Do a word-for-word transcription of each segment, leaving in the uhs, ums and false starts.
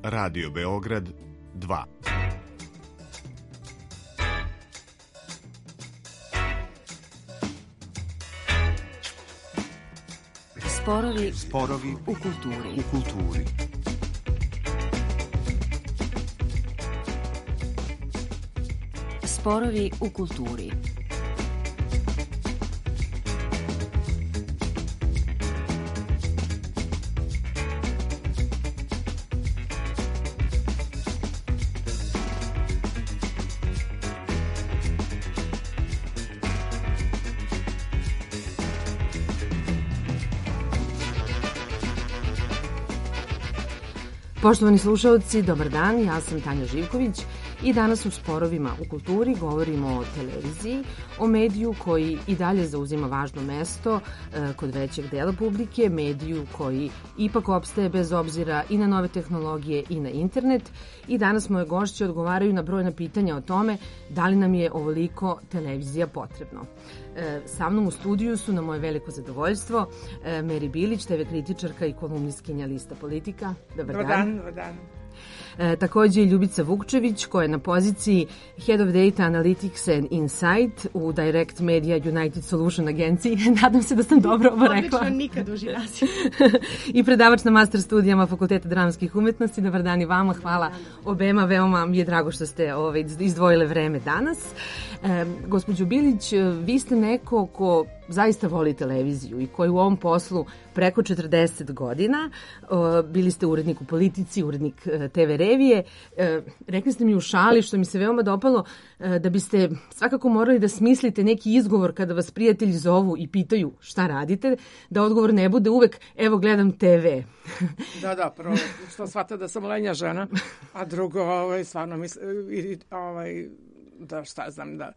Radio Beograd dva. Sporovi, Sporovi u kulturi. U kulturi. Sporovi u kulturi. Poštovani slušalci, dobar dan, ja sam Tanja Živković i danas u Sporovima u kulturi govorimo o televiziji, o mediju koji i dalje zauzima važno mesto e, kod većeg dela publike, mediju koji ipak opstaje bez obzira i na nove tehnologije i na internet. I danas moje gošće odgovaraju na brojna pitanja o tome da li nam je ovoliko televizija potrebno. E, sa mnom u studiju su, na moje veliko zadovoljstvo, e, Meri Bilić, te ve kritičarka i kolumnistkinja Lista Politika. Dobar, dobar dan. Dobar dan. E, takođe i Ljubica Vukčević, koja je na poziciji Head of Data Analytics and Insight u Direct Media United Solution agenciji. Nadam se da sam dobro ovo rekla. Odlično, nikad uži naziv. I predavač na master studijama Fakulteta dramskih umetnosti. Dobar dan i vama, hvala obema, veoma mi je drago što ste ovaj, izdvojile vreme danas. E, gospođo Bilić, vi ste neko ko zaista voli televiziju i koji u ovom poslu preko četrdeset godina, bili ste urednik u Politici, urednik te ve revije. Rekli ste mi u šali, što mi se veoma dopalo, da biste svakako morali da smislite neki izgovor kada vas prijatelji zovu i pitaju šta radite, da odgovor ne bude uvek evo gledam te ve. Da, da, prvo što shvata da sam lenja žena, a drugo ovaj, stvarno mislim, ovaj, da šta znam, da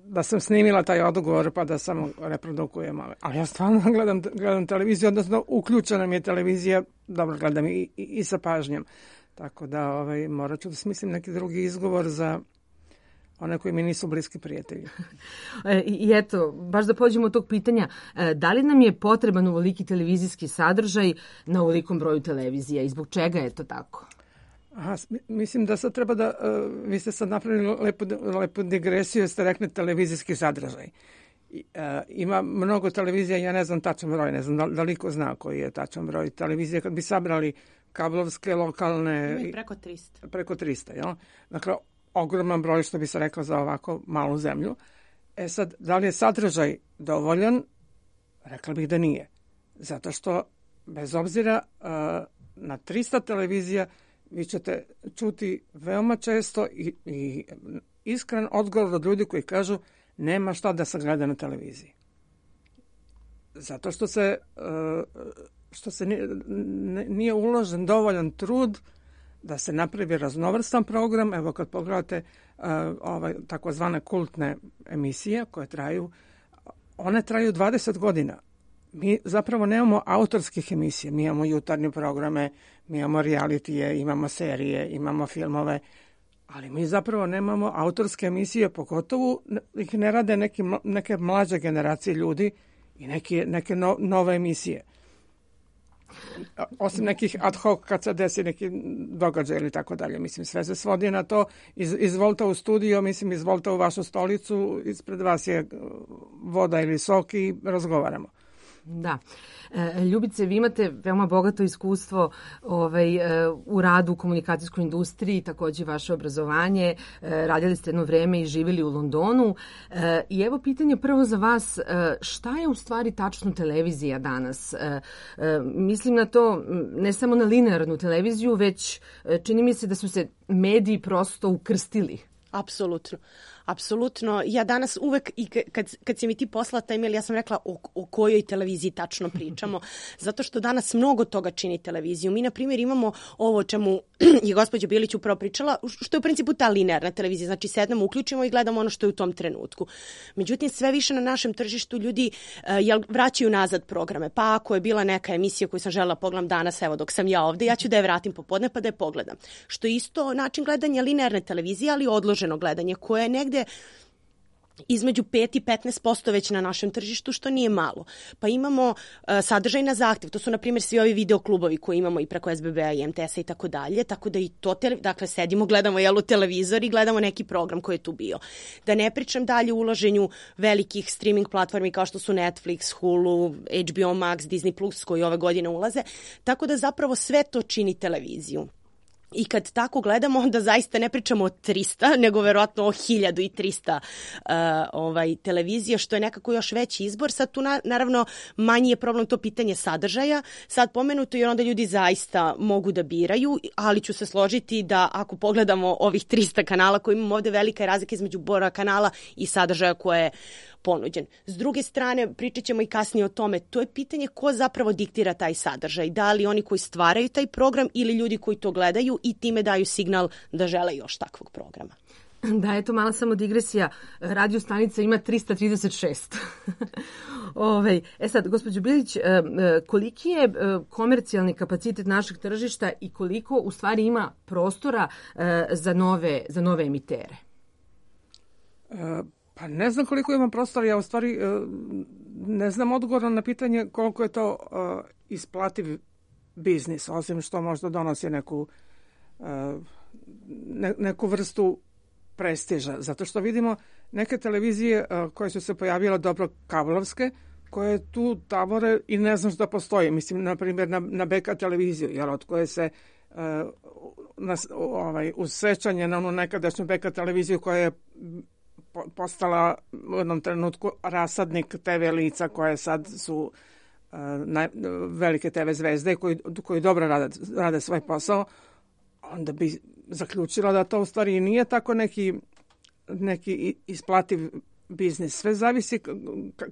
da sam snimila taj odgovor pa da samo reprodukujem. Ali ja stvarno gledam, gledam televiziju, odnosno uključena mi je televizija, dobro gledam i, i, i sa pažnjom. Tako da ovaj, morat ću da smislim neki drugi izgovor za one koji mi nisu bliski prijatelji. I eto, baš da pođemo od tog pitanja, da li nam je potreban ovoliki televizijski sadržaj na ovolikom broju televizija i zbog čega je to tako? Aha, mislim da sad treba da, uh, vi ste sad napravili lepu, lepu digresiju, ste rekli televizijski sadržaj. I, uh, ima mnogo televizija, ja ne znam tačan broj, ne znam da, da liko zna koji je tačan broj televizije, kad bi sabrali kablovske, lokalne... Ima i preko trista. Preko trista, jel? Dakle, ogroman broj, što bi se rekao, za ovako malu zemlju. E sad, da li je sadržaj dovoljan? Rekla bih da nije. Zato što, bez obzira uh, na trista televizija, vi ćete čuti veoma često i, i iskren odgovor od ljudi koji kažu nema šta da se gleda na televiziji. Zato što se, što se nije uložen dovoljan trud da se napravi raznovrstan program. Evo kad pogledate ovaj, takozvane kultne emisije koje traju, one traju dvadeset godina. Mi zapravo nemamo autorskih emisija, mi imamo jutarnje programe, mi imamo realitije, imamo serije, imamo filmove, ali mi zapravo nemamo autorske emisije, pogotovo ih ne rade neki, neke mlađe generacije ljudi i neke, neke no, nove emisije. Osim nekih ad hoc kad se desi neki događaj ili tako dalje. Mislim, sve se svodi na to, iz, izvolite u studio, mislim, izvolite u vašu stolicu, ispred vas je voda ili sok i razgovaramo. Da. E, Ljubice, vi imate veoma bogato iskustvo ovaj, e, u radu u komunikacijskoj industriji, takođe vaše obrazovanje, e, radili ste jedno vreme i živjeli u Londonu. E, I evo pitanje prvo za vas, e, šta je u stvari tačno televizija danas? E, e, mislim na to ne samo na linearnu televiziju, već e, čini mi se da su se mediji prosto ukrstili. Apsolutno. Apsolutno. Ja danas uvek, i kad, kad si mi ti poslala taj mail, ja sam rekla o, o kojoj televiziji tačno pričamo. Zato što danas mnogo toga čini televiziju. Mi, na primjer, imamo ovo o čemu je gospođa Bilić upravo pričala, što je u principu ta linearna televizija. Znači, sednemo, uključimo i gledamo ono što je u tom trenutku. Međutim, sve više na našem tržištu ljudi uh, jel, vraćaju nazad programe. Pa ako je bila neka emisija koju sam želela pogledam danas, evo dok sam ja ovde, ja ću da je vratim popodne pa da je pogledam. Što je isto način gledanja linearne televizije, ali odloženo gledanje, koje je negde između pet i petnaest posto već na našem tržištu, što nije malo. Pa imamo uh, sadržaj na zahtev, to su na primjer svi ovi videoklubovi koji imamo i preko S B B-a i M T S-a i tako dalje, tako da i to, te, dakle sedimo, gledamo jelu televizor i gledamo neki program koji je tu bio. Da ne pričam dalje o uloženju velikih streaming platformi kao što su Netflix, Hulu, H B O Max, Disney Plus koji ove godine ulaze, tako da zapravo sve to čini televiziju. I kad tako gledamo, onda zaista ne pričamo o trista, nego verovatno o hiljadu i trista uh, ovaj, televizija, što je nekako još veći izbor. Sad tu na, naravno manji je problem to pitanje sadržaja, sad pomenuto, jer onda ljudi zaista mogu da biraju, ali ću se složiti da ako pogledamo ovih trista kanala koji imamo ovde, velika je razlika između broja kanala i sadržaja koje je ponuđen. S druge strane, pričat ćemo i kasnije o tome, to je pitanje ko zapravo diktira taj sadržaj. Da li oni koji stvaraju taj program ili ljudi koji to gledaju i time daju signal da žele još takvog programa. Da, eto mala samo digresija. Radio stanica ima trista trideset šest. Ove, e sad, gospođo Bilić, koliki je komercijalni kapacitet našeg tržišta i koliko u stvari ima prostora za nove, za nove emitere? Uh, Pa ne znam koliko imam prostora, ja u stvari ne znam odgovor na pitanje koliko je to uh, isplativ biznis, osim što možda donosi neku, uh, ne, neku vrstu prestiža. Zato što vidimo neke televizije uh, koje su se pojavile dobro kablovske, koje tu tavore i ne znaš da postoje. Mislim, na primjer, na, na B K televiziju, jer od koje se uh, na, ovaj, uz sećanje na onu nekadašnju B K televiziju koja je postala u jednom trenutku rasadnik T V lica koje sad su uh, naj, velike T V zvezde koji, koji dobro rade, rade svoj posao, onda bi zaključila da to u stvari nije tako neki, neki isplativ biznis. Sve zavisi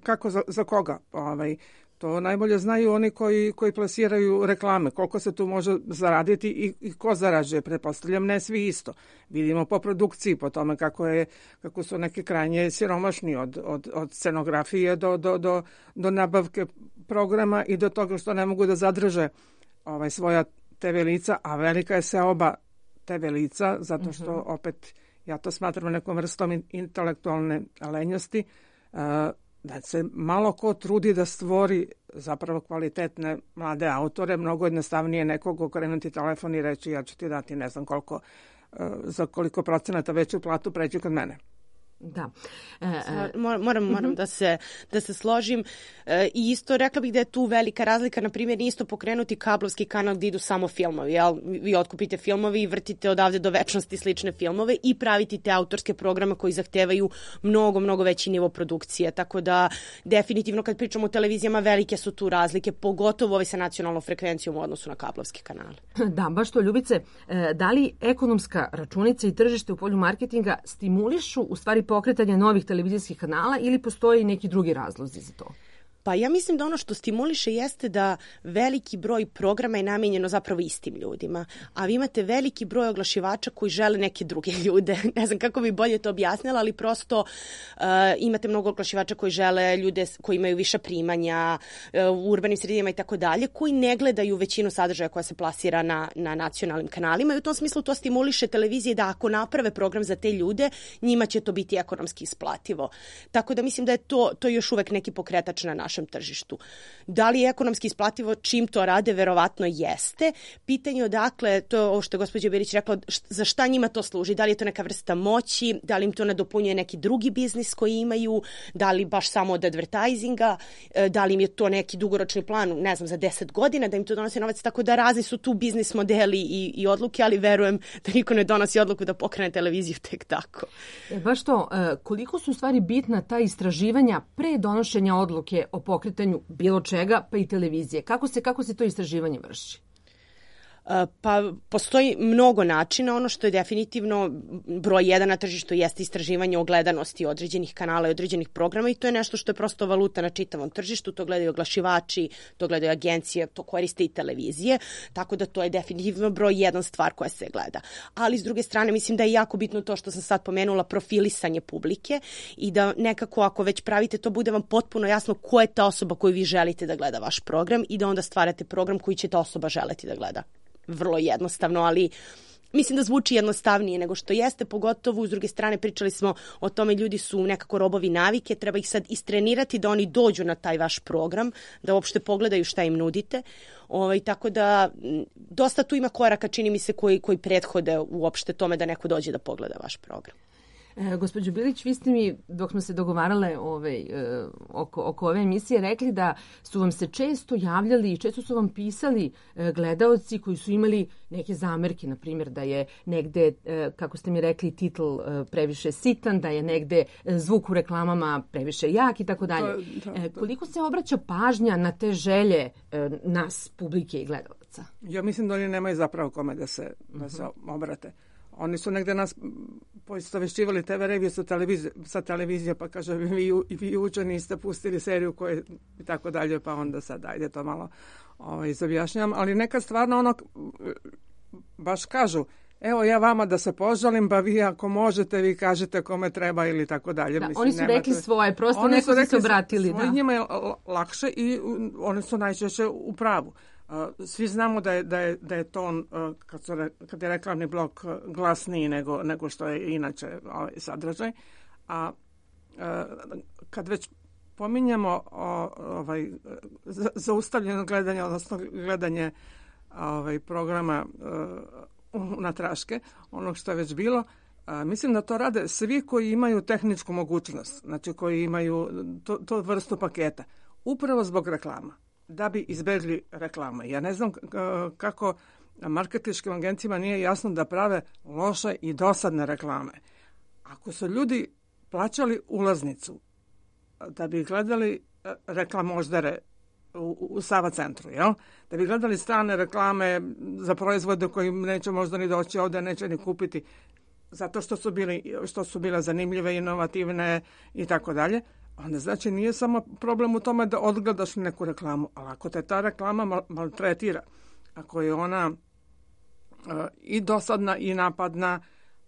kako za, za koga. Ovaj, to najbolje znaju oni koji, koji plasiraju reklame, koliko se tu može zaraditi i, i ko zarađuje. Pretpostavljam ne svi isto. Vidimo po produkciji, po tome kako, je, kako su neki krajnje siromašni od, od, od scenografije do, do, do, do nabavke programa i do toga što ne mogu da zadrže ovaj, svoja T V lica, a velika je se oba T V lica, zato što mm-hmm. opet ja to smatram nekom vrstom intelektualne lenjosti, uh, da se malo ko trudi da stvori zapravo kvalitetne mlade autore, mnogo jednostavnije nekog okrenuti telefon i reći ja ću ti dati ne znam koliko, za koliko procenata veću platu pređi kod mene. Da. E, e, moram moram uh-huh. da se da se složim e, i isto rekla bih da je tu velika razlika, na primjer isto pokrenuti kablovski kanal gdje idu samo filmovi, jel? Vi otkupite filmovi i vrtite odavde do večnosti slične filmove i praviti te autorske programe koji zahtevaju mnogo, mnogo veći nivo produkcije, tako da definitivno kad pričamo o televizijama velike su tu razlike, pogotovo ove sa nacionalnom frekvencijom u odnosu na kablovske kanale. Da, baš to, Ljubice, da li ekonomska računica i tržište u polju marketinga stimulišu u stvari pokretanje novih televizijskih kanala ili postoji neki drugi razlozi za to? Pa ja mislim da ono što stimuliše jeste da veliki broj programa je namijenjeno zapravo istim ljudima, a vi imate veliki broj oglašivača koji žele neke druge ljude. Ne znam kako bi bolje to objasnila, ali prosto uh, imate mnogo oglašivača koji žele ljude koji imaju više primanja uh, u urbanim sredinama i tako dalje, koji ne gledaju većinu sadržaja koja se plasira na, na nacionalnim kanalima i u tom smislu to stimuliše televizije da ako naprave program za te ljude, njima će to biti ekonomski isplativo. Tako da mislim da je to, to još uvek neki pokretač na našem tržištu. Da li je ekonomski isplativo čim to rade? Verovatno jeste. Pitanje odakle, to je ovo što je gospođa Bilić rekla, za šta njima to služi? Da li je to neka vrsta moći? Da li im to nadopunjuje neki drugi biznis koji imaju? Da li baš samo od advertisinga? Da li im je to neki dugoročni plan, ne znam, za deset godina da im to donosi novac? Tako da razni su tu biznis modeli i, i odluke, ali verujem da niko ne donosi odluku da pokrene televiziju tek tako. E, baš to, koliko su u stvari bitna ta istraživanja pre donošenja odluke o pokretanju bilo čega, pa i televizije? Kako se, kako se to istraživanje vrši? Pa postoji mnogo načina. Ono što je definitivno broj jedan na tržištu jeste istraživanje o gledanosti određenih kanala i određenih programa i to je nešto što je prosto valuta na čitavom tržištu. To gledaju oglašivači, to gledaju agencije, to koriste i televizije, tako da to je definitivno broj jedan stvar koja se gleda. Ali s druge strane mislim da je jako bitno to što sam sad pomenula, profilisanje publike i da nekako ako već pravite to bude vam potpuno jasno ko je ta osoba koju vi želite da gleda vaš program i da onda stvarate program koji će ta osoba želeti da gleda. Vrlo jednostavno, ali mislim da zvuči jednostavnije nego što jeste, pogotovo s druge strane pričali smo o tome, ljudi su nekako robovi navike, treba ih sad istrenirati da oni dođu na taj vaš program, da uopšte pogledaju šta im nudite. Ovaj, tako da dosta tu ima koraka, čini mi se, koji, koji prethode uopšte tome da neko dođe da pogleda vaš program. E, gospođo Bilić, vi ste mi, dok smo se dogovarale ovaj, e, oko, oko ove emisije, rekli da su vam se često javljali i često su vam pisali e, gledaoci koji su imali neke zamerke, na primjer da je negde, e, kako ste mi rekli, titl e, previše sitan, da je negde zvuk u reklamama previše jak i tako dalje. E, koliko se obraća pažnja na te želje e, nas, publike i gledalaca? Ja mislim da oni nemaju zapravo kome da se, da se obrate. Oni su negde nas poistovešćivali te ve revije sa televizije, sa televizije, pa kaže, vi, vi juče niste pustili seriju koje i tako dalje, pa onda sad ajde to malo ovaj, izobjašnjam. Ali nekad stvarno ono, baš kažu, evo ja vama da se požalim, pa vi ako možete, vi kažete kome treba ili tako dalje. Da, mislim, oni su nemate... rekli svoje, prosto oni neko su se obratili. Svoje, da. Njima je lakše i oni su najčešće u pravu. Svi znamo da je, da je, da je ton, kad, su, kad je reklamni blok glasniji nego, nego što je inače ovaj, sadržaj. A kad već pominjamo ovaj, zaustavljeno gledanje, odnosno gledanje ovaj, programa na traške, onog što je već bilo, mislim da to rade svi koji imaju tehničku mogućnost, znači koji imaju to, to vrstu paketa, upravo zbog reklama, da bi izbegli reklame. Ja ne znam kako marketinškim agencijama nije jasno da prave loše i dosadne reklame. Ako su ljudi plaćali ulaznicu da bi gledali reklamoždere u, u Sava centru, jel? Da bi gledali strane reklame za proizvode koji neće možda ni doći ovde, neće ni kupiti, zato što su, bili, što su bile zanimljive, inovativne i tako dalje, onda znači nije samo problem u tome da odgledaš neku reklamu, ali ako te ta reklama maltretira, ako je ona uh, i dosadna i napadna,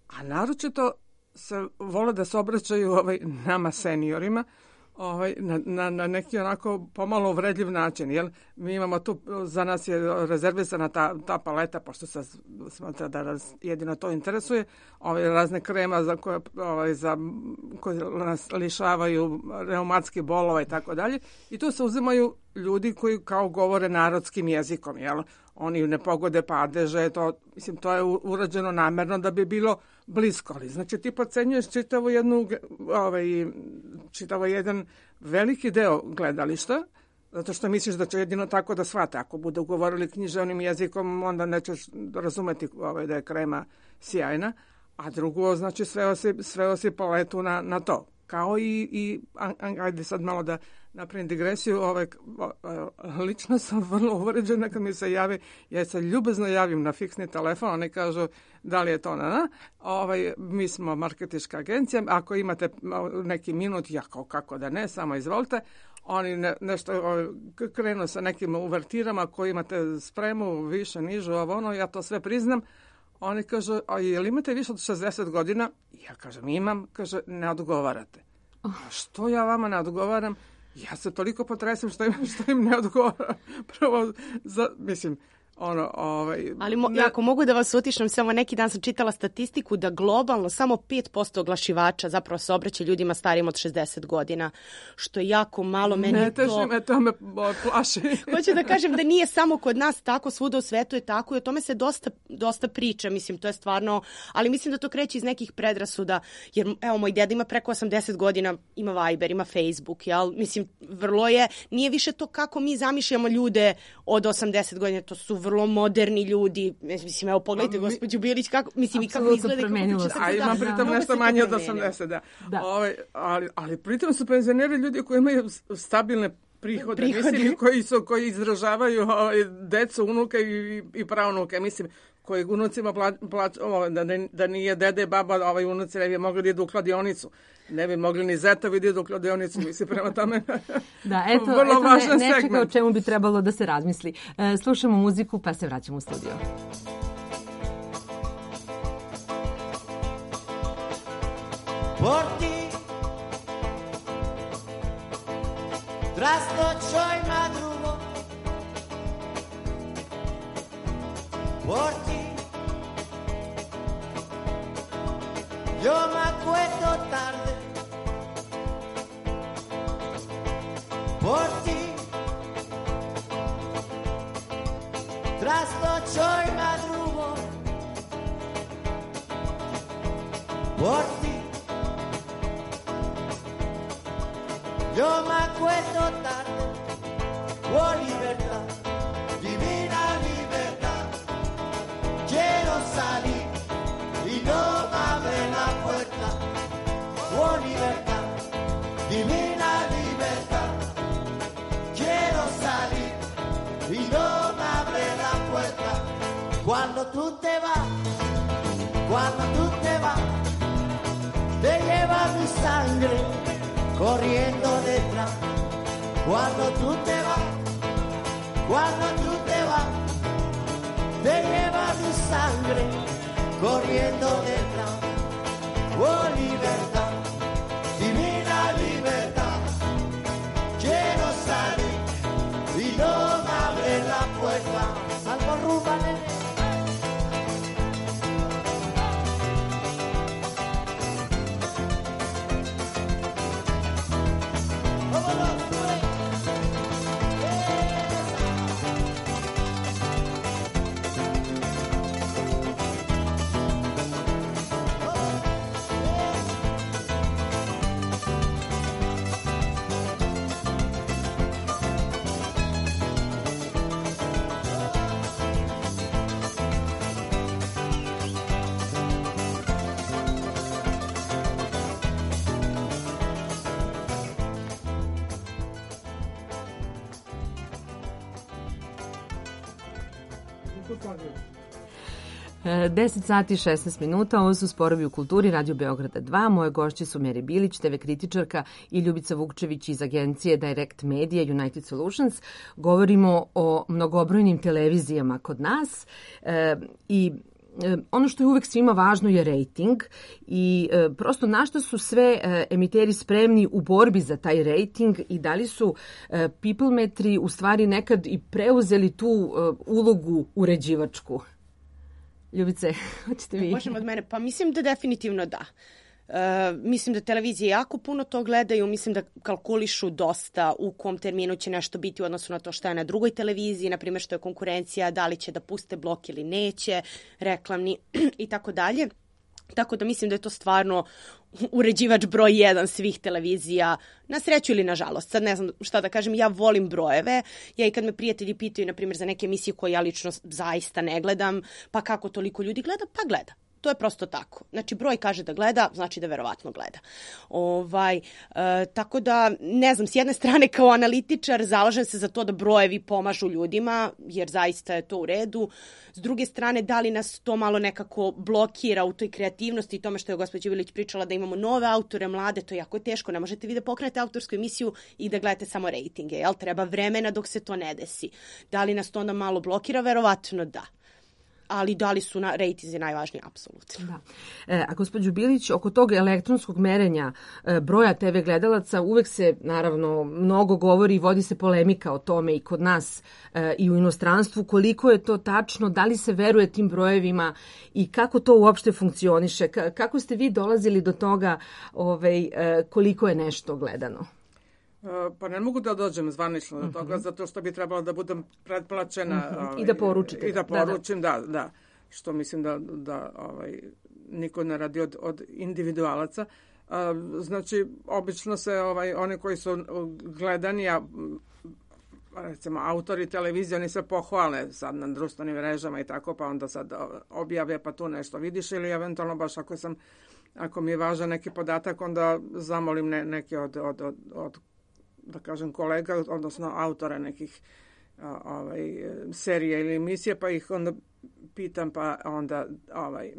a naročito se vole da se obraćaju ovaj, nama seniorima, ovaj, na, na, na neki onako pomalo uvredljiv način. Jel? Mi imamo tu, za nas je rezervisana ta, ta paleta, pošto se smatra da nas jedino to interesuje, ovaj, razne krema za koje, ovaj, za, koje nas lišavaju reumatskih bolova i tako dalje. I tu se uzimaju ljudi koji kao govore narodskim jezikom. Jel? Oni ne pogode padeže, to, mislim, to je urađeno namerno da bi bilo blisko. Ali, znači, ti podcenjuješ čitavo jednu, ovaj, čitavo jedan veliki deo gledališta, zato što misliš da će jedino tako da shvate. Ako budu govorili književnim jezikom, onda nećeš razumeti ovaj, da je krema sjajna. A drugo, znači, sveo si, sveo si paletu na, na to. Kao i, i ajde sad malo da napravim digresiju, ovaj, lično sam vrlo uvređena kad mi se javi, ja se ljubazno javim na fiksni telefon, oni kažu da li je to na na, ovaj, mi smo marketinška agencija, ako imate neki minut, ja kao kako da ne, samo izvolite, oni ne, nešto ovaj, krenu sa nekim uvertirama koji imate spremu, više, nižu, ovo ono, ja to sve priznam. Oni kažu, a je li imate više od šezdeset godina? Ja kažem, imam. Kaže, ne odgovarate. A što ja vama ne odgovaram? Ja se toliko potresem što im, što im ne odgovaram. Prvo, za, mislim, ono, ovaj... Ali mo, ne... ako mogu da vas utišam, samo neki dan sam čitala statistiku da globalno samo pet posto oglašivača zapravo se obraća ljudima starijim od šezdeset godina, što je jako malo. Meni ne teži to... me, to me plaši. Hoću da kažem da nije samo kod nas tako, svuda u svetu je tako i o tome se dosta, dosta priča, mislim, to je stvarno, ali mislim da to kreće iz nekih predrasuda, jer evo, moj deda ima preko osamdeset godina, ima Viber, ima Facebook, jel? Mislim, vrlo je, nije više to kako mi zamišljamo ljude od osamdeset godina, to su vrlo moderni ljudi. Mislim, evo, pogledajte mi... gospođu Bilić, kako, mislim, i kako izgleda. A ima pritom da, nešto manje od osamdeset, da. da. Ove, ali, ali pritom su penzioneri ljudi koji imaju stabilne prihode, prihode. Mislim, koji, su, koji izražavaju ovaj, decu, unuke i, i pravnuke, mislim, koji unucima plaću, plač, da, da nije dede, baba, ovaj unuci ne bi mogli da idu u kladionicu. Ne bi mogli ni zetovi da idu u kladionicu, mislim, prema tome da, eto, vrlo eto važan ne, nečega segment. O čemu bi trebalo da se razmisli. E, slušamo muziku pa se vraćamo u studio. Por ti tras noche y madrugo, por ti Yo me acuesto tarde por ti. Trasnocho y madrugo por ti. Yo me acuesto tarde por libertad, divina libertad. Quiero salir y no me abre la puerta. Oh, libertad, divina libertad. Quiero salir y no me abre la puerta. Cuando tú te vas, cuando tú te vas, te lleva mi sangre corriendo detrás. Cuando tú te vas, cuando tú te vas, te lleva mi sangre corriendo detrás. Oh, libertad, divina libertad. Quiero salir y no me abre la puerta. Salgo rumba, nene. deset sati i šesnaest minuta, ovo su Sporovi u kulturi, Radio Beograda dva. Moje gošće su Meri Bilić, te ve kritičarka, i Ljubica Vukčević iz agencije Direct Media United Solutions. Govorimo o mnogobrojnim televizijama kod nas e, i ono što je uvek svima važno je rejting i e, prosto na što su sve e, emiteri spremni u borbi za taj rejting i da li su e, Peoplemetri u stvari nekad i preuzeli tu e, ulogu uređivačku. Ljubice, hoćete vi? Možemo od mene? Pa mislim da definitivno da. Uh, mislim da televizije jako puno to gledaju, mislim da kalkulišu dosta u kom terminu će nešto biti u odnosu na to što je na drugoj televiziji, na primjer što je konkurencija, da li će da puste blok ili neće, reklamni i tako dalje. Tako da mislim da je to stvarno uređivač broj jedan svih televizija, na sreću ili na žalost. Sad ne znam šta da kažem, ja volim brojeve. Ja i kad me prijatelji pitaju, na primjer, za neke emisije koje ja lično zaista ne gledam, pa kako toliko ljudi gleda, pa gleda. To je prosto tako. Znači, broj kaže da gleda, znači da verovatno gleda. Ovaj, e, tako da, ne znam, s jedne strane kao analitičar zalažem se za to da brojevi pomažu ljudima, jer zaista je to u redu. S druge strane, da li nas to malo nekako blokira u toj kreativnosti i tome što je gospođa Ilić pričala da imamo nove autore, mlade, to je jako teško. Ne možete vi da pokrenete autorsku emisiju i da gledate samo rejtinge, jel? Treba vremena dok se to ne desi. Da li nas to onda malo blokira? Verovatno da. Ali da li su na rejtinzi najvažniji? Apsolutno. Da. E, a gospođo Bilić, oko tog elektronskog merenja e, broja te ve gledalaca uvek se, naravno, mnogo govori i vodi se polemika o tome i kod nas e, i u inostranstvu. Koliko je to tačno, da li se veruje tim brojevima i kako to uopšte funkcioniše? K- kako ste vi dolazili do toga ovaj, e, koliko je nešto gledano? Pa ne mogu da dođem zvanično do toga, uh-huh. zato što bi trebalo da budem pretplaćena. Uh-huh. Ovaj, I da poručite. I da poručim, da, da. da. Što mislim da, da ovaj, niko ne radi od, od individualaca. A, znači, obično se ovaj, oni koji su gledani, a recimo autori televizije, oni se pohvale sad na društvenim mrežama i tako, pa onda sad objave pa tu nešto vidiš ili eventualno baš ako sam, ako mi je važan neki podatak, onda zamolim ne, neke od, od, od, od da kažem kolega, odnosno autora nekih a, ovaj, serija ili emisije, pa ih onda pitam, pa onda ovaj,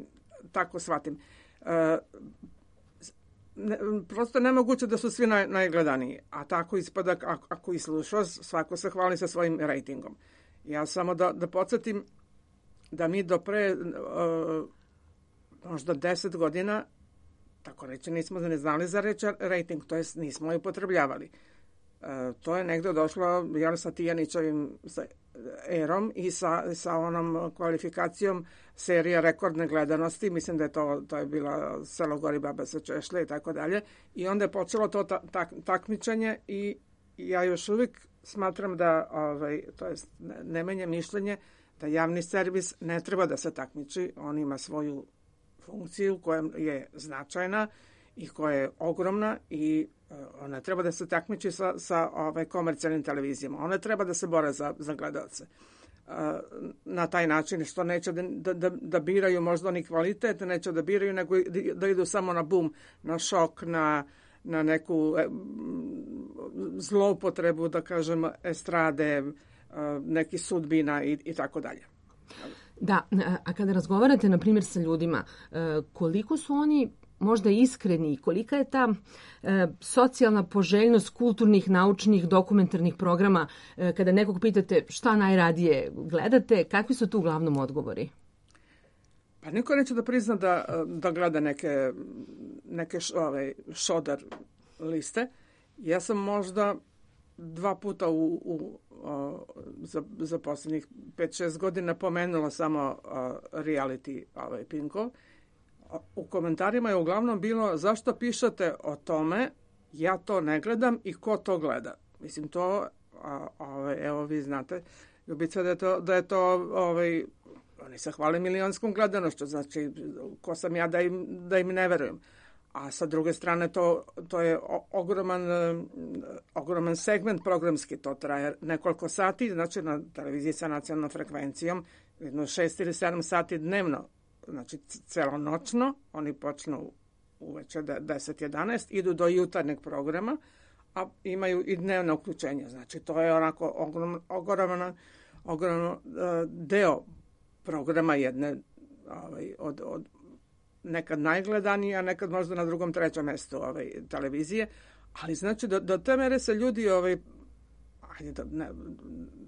tako shvatim. E, ne, prosto nemoguće da su svi naj, najgledaniji, a tako ispada ako, ako i slušaš, svako se hvali sa svojim rejtingom. Ja samo da, da podsjetim da mi do pre uh, možda deset godina, tako reći, nismo ne znali za reč rejting, to jest nismo je upotrebljavali. Uh, to je negde došlo jel, sa Tijanićevim, sa erom i sa, sa onom kvalifikacijom serija rekordne gledanosti. Mislim da je to, to je bila Selo gori baba sa češlje i tako dalje. I onda je počelo to ta, tak, takmičenje i ja još uvijek smatram da, ovaj, to jest, ne menjam mišljenje, da javni servis ne treba da se takmiči. On ima svoju funkciju koja je značajna i koja je ogromna i ona treba da se takmiči sa, sa ovaj, komercijalnim televizijama. Ona treba da se bore za, za gledalce. Na taj način što neće da, da, da biraju možda ni kvalitet, neće da biraju, nego da idu samo na bum, na šok, na, na neku zloupotrebu, da kažem, estrade, neki sudbina i, i tako dalje. Da, a kada razgovarate, na primjer, sa ljudima, koliko su oni možda iskreni, kolika je ta e, socijalna poželjnost kulturnih, naučnih, dokumentarnih programa, e, kada nekog pitate šta najradije gledate, kakvi su tu uglavnom odgovori? Pa niko neće da prizna da, da gleda neke, neke š, ovaj, šodar liste. Ja sam možda dva puta u, u, o, za, za posljednjih pet šest godina pomenula samo o, reality ovaj, Pinkov. U komentarima je uglavnom bilo zašto pišete o tome, ja to ne gledam i ko to gleda. Mislim to, a, a, evo vi znate, Ljubica, da je to, da je to ovaj, oni se hvale milionskom gledanošću, znači ko sam ja da im, da im ne verujem. A sa druge strane to, to je ogroman, ogroman segment programski, to traje nekoliko sati, znači na televiziji sa nacionalnom frekvencijom, jedno šest ili sedam sati dnevno. Znači, celonočno, oni počnu uveče deset jedanaest, idu do jutarnjeg programa, a imaju i dnevno uključenje. Znači, to je onako ogroman, ogroman, ogroman deo programa jedne ovaj, od, od nekad najgledanije, a nekad možda na drugom, trećem mjestu ovaj, televizije. Ali znači, do, do te mere se ljudi, ovaj, ajde, da, ne,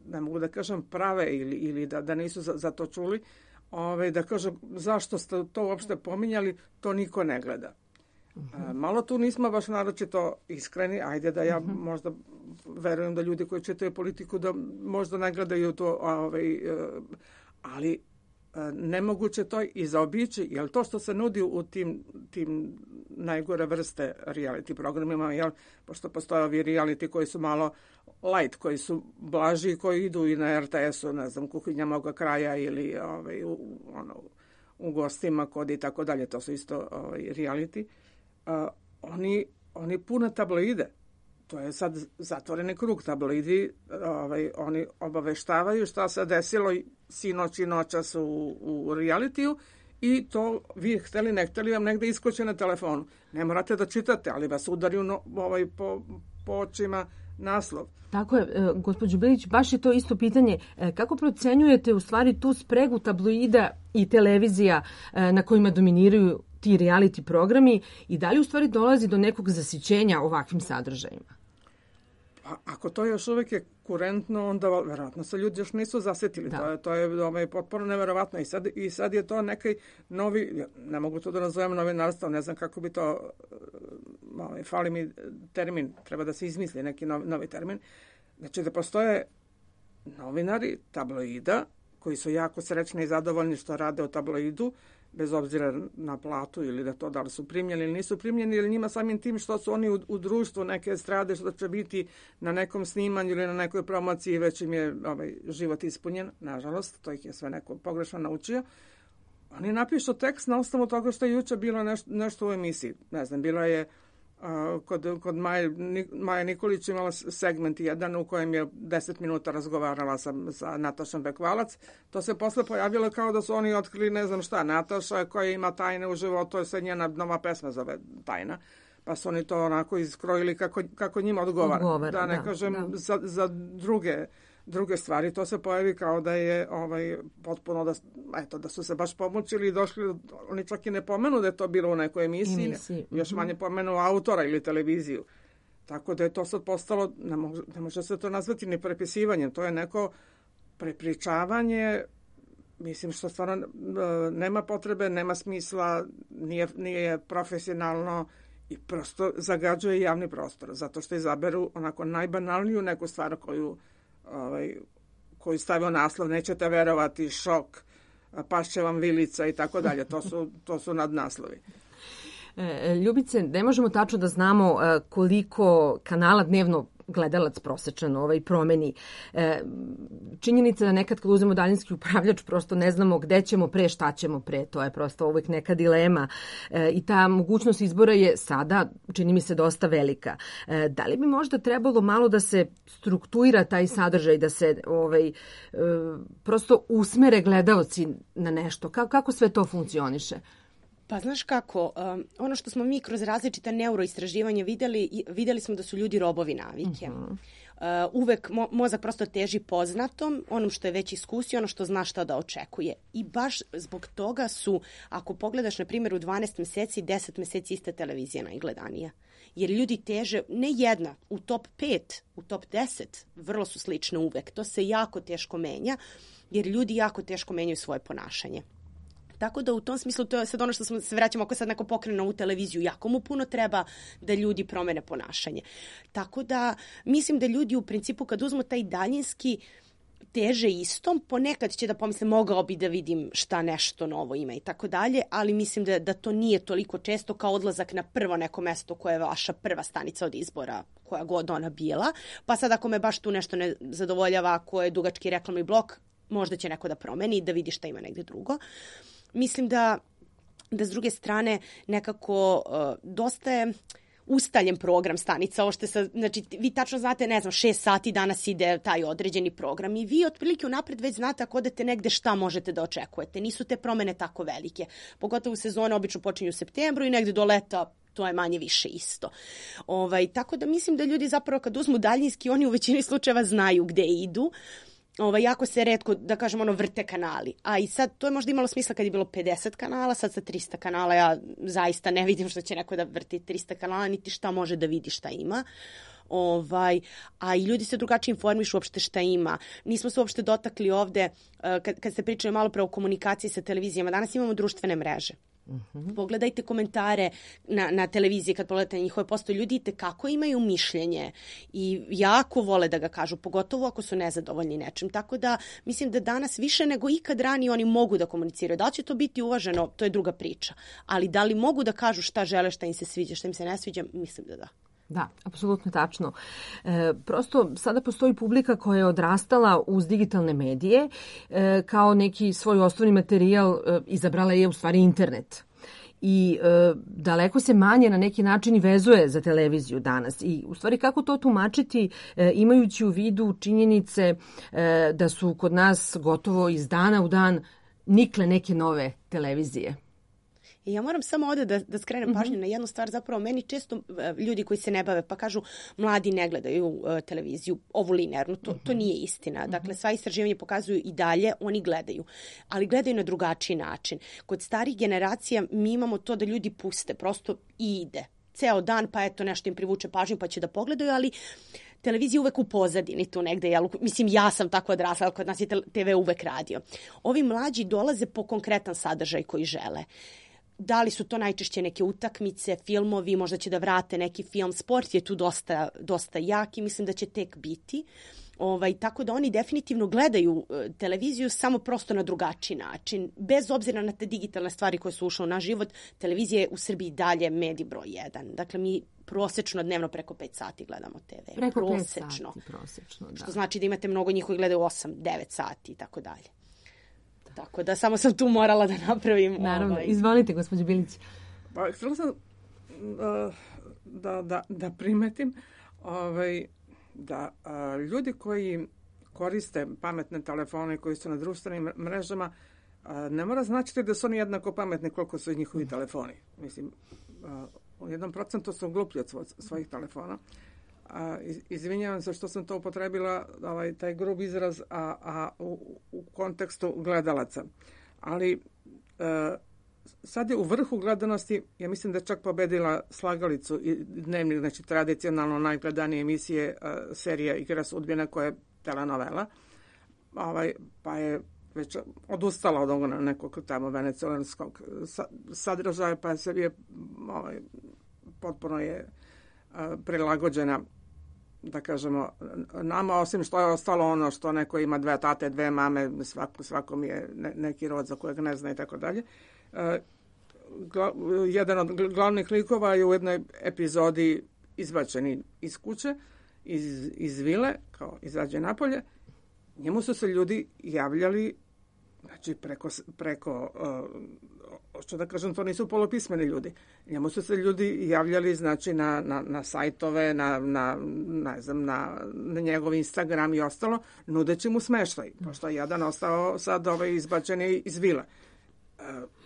ne mogu da kažem prave ili, ili da, da nisu za, za to čuli, Ove, da kažu zašto ste to uopšte pominjali, to niko ne gleda. Uh-huh. Malo tu nismo baš naročito iskreni, ajde da ja uh-huh. možda verujem da ljudi koji čitaju politiku da možda ne gledaju to, ovaj, ali nemoguće to i zaobići, jer to što se nudi u tim, tim najgore vrste reality programima, jel, pošto postoje ovi reality koji su malo light, koji su blaži, koji idu i na er te esu, ne znam, Kuhinja moga kraja ili ovaj, u, ono, u gostima kod i tako dalje, to su isto ovaj, reality, uh, oni, oni pune tabloide. To je sad zatvoreni krug, tabloidi, ovaj, oni obaveštavaju šta se desilo sinoć i noćas u, u realitiju i to vi hteli ne hteli vam negde iskoče na telefonu. Ne morate da čitate, ali vas udariju no, ovaj, po, po očima naslov. Tako je, gospođo Bilić, baš je to isto pitanje. Kako procenjujete u stvari tu spregu tabloida i televizija na kojima dominiraju ti reality programi i da li u stvari dolazi do nekog zasićenja ovakvim sadržajima? Pa, ako to još uvijek je kurentno, onda verovatno se ljudi još nisu zasjetili. Da. To je, to je ovaj, potpuno neverovatno. I sad, I sad je to neki novi, ne mogu to da nazovem novinarstvo, ne znam kako bi to, ovaj, fali mi termin, treba da se izmisli neki novi, novi termin. Znači da postoje novinari tabloida koji su jako srećni i zadovoljni što rade u tabloidu, bez obzira na platu ili da to da li su primljeni ili nisu primljeni, ili njima samim tim što su oni u, u društvu neke estrade, što će biti na nekom snimanju ili na nekoj promociji, već im je ovaj, život ispunjen, nažalost, to ih je sve neko pogrešno naučio. Oni napišu tekst na osnovu toga što je juče bilo nešto, nešto u emisiji. Ne znam, bilo je uh, kod, kod Maje, Maja Nikolić imala segment jedan u kojem je deset minuta razgovarala sa, sa Natašom Bekvalac. To se posle pojavilo kao da su oni otkrili ne znam šta. Nataša koja ima tajne u životu, se njena nova pesma zove Tajna. Pa su oni to onako iskrojili kako, kako njima odgovara. odgovara da ne da, kažem da. Za, za druge druge stvari, to se pojavi kao da je ovaj potpuno da eto da su se baš pomučili i došli, oni čak i ne pomenu da je to bilo u nekoj emisiji, emisiji. Još mm-hmm. manje pomenu autora ili televiziju. Tako da je to sad postalo, ne može, ne može se to nazvati ni prepisivanjem, to je neko prepričavanje, mislim što stvarno nema potrebe, nema smisla, nije, nije profesionalno i prosto zagađuje javni prostor, zato što izaberu onako najbanalniju neku stvar koju ovaj, koji stavio naslov, nećete verovati, šok, pašće vam vilica i tako dalje. To su, to su nadnaslovi. Ljubice, ne možemo tačno da znamo koliko kanala dnevno gledalac prosečan ovaj promeni. E, činjenica da nekad kad uzmemo daljinski upravljač prosto ne znamo gde ćemo pre, šta ćemo pre. To je prosto uvijek neka dilema. E, I ta mogućnost izbora je sada, čini mi se, dosta velika. E, da li bi možda trebalo malo da se struktuira taj sadržaj, da se ovaj, e, prosto usmere gledalci na nešto? Ka, kako sve to funkcioniše? Pa znaš kako, um, ono što smo mi kroz različita neuroistraživanja videli, videli smo da su ljudi robovi navike. Uh-huh. Uh, uvek mo- mozak prosto teži poznatom, onom što je već iskusio, ono što zna šta da očekuje. I baš zbog toga su, ako pogledaš na primjer u dvanaest meseci, deset meseci iste televizija najgledanija. Jer ljudi teže, ne jedna, u top pet, u top deset, vrlo su slične uvek. To se jako teško menja, jer ljudi jako teško menjaju svoje ponašanje. Tako da u tom smislu, to je sad ono što smo se vraćamo, ako sad neko pokrene ovu televiziju, jako mu puno treba da ljudi promene ponašanje. Tako da mislim da ljudi u principu kad uzmu taj daljinski teže istom, ponekad će da pomisle mogao bi da vidim šta nešto novo ima i tako dalje, ali mislim da, da to nije toliko često kao odlazak na prvo neko mesto koje je vaša prva stanica od izbora, koja god ona bila. Pa sad ako me baš tu nešto ne zadovoljava, ako je dugački reklamni blok, možda će neko da promeni i da vidi šta ima negde drugo. Mislim da, da s druge strane nekako uh, dosta je ustaljen program stanica. Ovo što sa, znači, vi tačno znate, ne znam, šest sati danas ide taj određeni program i vi otprilike unapred već znate ako odete negde šta možete da očekujete. Nisu te promene tako velike. Pogotovo sezone obično počinju u septembru i negde do leta to je manje više isto. Ovaj, tako da mislim da ljudi zapravo kad uzmu daljinski, oni u većini slučajeva znaju gde idu. Ovaj, jako se retko, da kažem, ono, vrte kanali. A i sad, to je možda imalo smisla kad je bilo pedeset kanala, sad sa trista kanala ja zaista ne vidim što će neko da vrti trista kanala, niti šta može da vidi šta ima. Ovaj, a i ljudi se drugačije informišu uopšte šta ima. Nismo se uopšte dotakli ovde, kad, kad ste pričali malo pre o komunikaciji sa televizijama, danas imamo društvene mreže. Uh-huh. Pogledajte komentare na, na televiziji, kad pogledate njihove postoje, ljudi kako imaju mišljenje i jako vole da ga kažu, pogotovo ako su nezadovoljni nečim. Tako da mislim da danas više nego ikad ranije oni mogu da komuniciraju. Da li će to biti uvaženo, to je druga priča. Ali da li mogu da kažu šta žele, šta im se sviđa, šta im se ne sviđa, mislim da da. Da, apsolutno tačno. E, prosto sada postoji publika koja je odrastala uz digitalne medije, e, kao neki svoj osnovni materijal e, izabrala je u stvari internet. I e, daleko se manje na neki način i vezuje za televiziju danas. I u stvari kako to tumačiti e, imajući u vidu činjenice e, da su kod nas gotovo iz dana u dan nikle neke nove televizije. I ja moram samo ovde da, da skrenem pažnju mm-hmm. na jednu stvar. Zapravo, meni često uh, ljudi koji se ne bave pa kažu mladi ne gledaju uh, televiziju, ovu linearnu. To, mm-hmm. to nije istina. Mm-hmm. Dakle, sva istraživanja pokazuju i dalje, oni gledaju. Ali gledaju na drugačiji način. Kod starih generacija mi imamo to da ljudi puste, prosto i ide. Ceo dan, pa eto nešto im privuče pažnju pa će da pogledaju, ali televizija uvek u pozadini tu negde. Jel? Mislim, ja sam tako odrasla, kod nas je te ve uvek radio. Ovi mlađi dolaze po konkretan sadržaj koji žele. Da li su to najčešće neke utakmice, filmovi, možda će da vrate neki film, sport je tu dosta, dosta jak i mislim da će tek biti. Ovaj, tako da oni definitivno gledaju e, televiziju samo prosto na drugačiji način. Bez obzira na te digitalne stvari koje su ušle u naš život, televizija je u Srbiji dalje medij broj jedan. Dakle, mi prosečno dnevno preko pet sati gledamo te ve. Preko prosečno. pet sati, prosečno, da. Što znači da imate mnogo njih koji gledaju osam devet sati i tako dalje. Tako da samo sam tu morala da napravim. Naravno, ovaj. Izvolite, gospođo Bilić. Pa, htjela sam uh, da, da, da primetim ovaj, da uh, ljudi koji koriste pametne telefone koji su na društvenim mrežama, uh, ne mora značiti da su oni jednako pametni koliko su i njihovi telefoni. Mislim, uh, u jednom procentu su gluplji od svoj, svojih telefona. A, izvinjavam se što sam to upotrebila, ovaj, taj grub izraz, a, a u, u kontekstu gledalaca. Ali e, sad je u vrhu gledanosti, ja mislim da je čak pobedila Slagalicu i Dnevnik, znači tradicionalno najgledanije emisije, a, serija Igra sudbine koja je telenovela, ovaj, pa je već odustala od onog nekog tamo venecuelanskog sadržaja, pa se je ovaj, potpuno je prilagođena da kažemo, nama, osim što je ostalo ono što neko ima dve tate, dve mame, svako, svakom je ne, neki rod za kojeg ne zna i tako dalje. Jedan od glavnih likova je u jednoj epizodi izbačeni iz kuće, iz, iz vile, kao izađe napolje. Njemu su se ljudi javljali, znači preko, preko uh, što da kažem, to nisu polupismeni ljudi. Njemu su se ljudi javljali, znači, na, na, na sajtove, na, na, ne znam, na, na njegov Instagram i ostalo, nudeći mu smeštaj, pošto je jedan ostao sad ovaj izbačeni iz vile.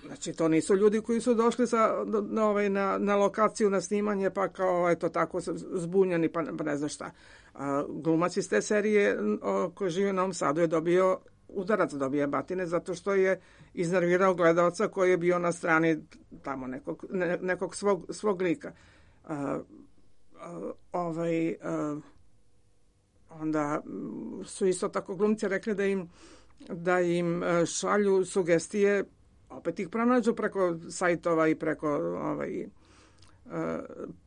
Znači, to nisu ljudi koji su došli sa, na, ovaj, na, na lokaciju, na snimanje, pa kao, eto, tako zbunjeni, pa, pa ne znam šta. A, glumac iz te serije o, koji živi u Novom Sadu je dobio udarac, dobije batine, zato što je iznervirao gledalca koji je bio na strani tamo nekog, ne, nekog svog, svog lika. A, a, ovaj, a, onda su isto tako glumci rekli da im, da im šalju sugestije, opet ih pronađu preko sajtova i preko ovaj,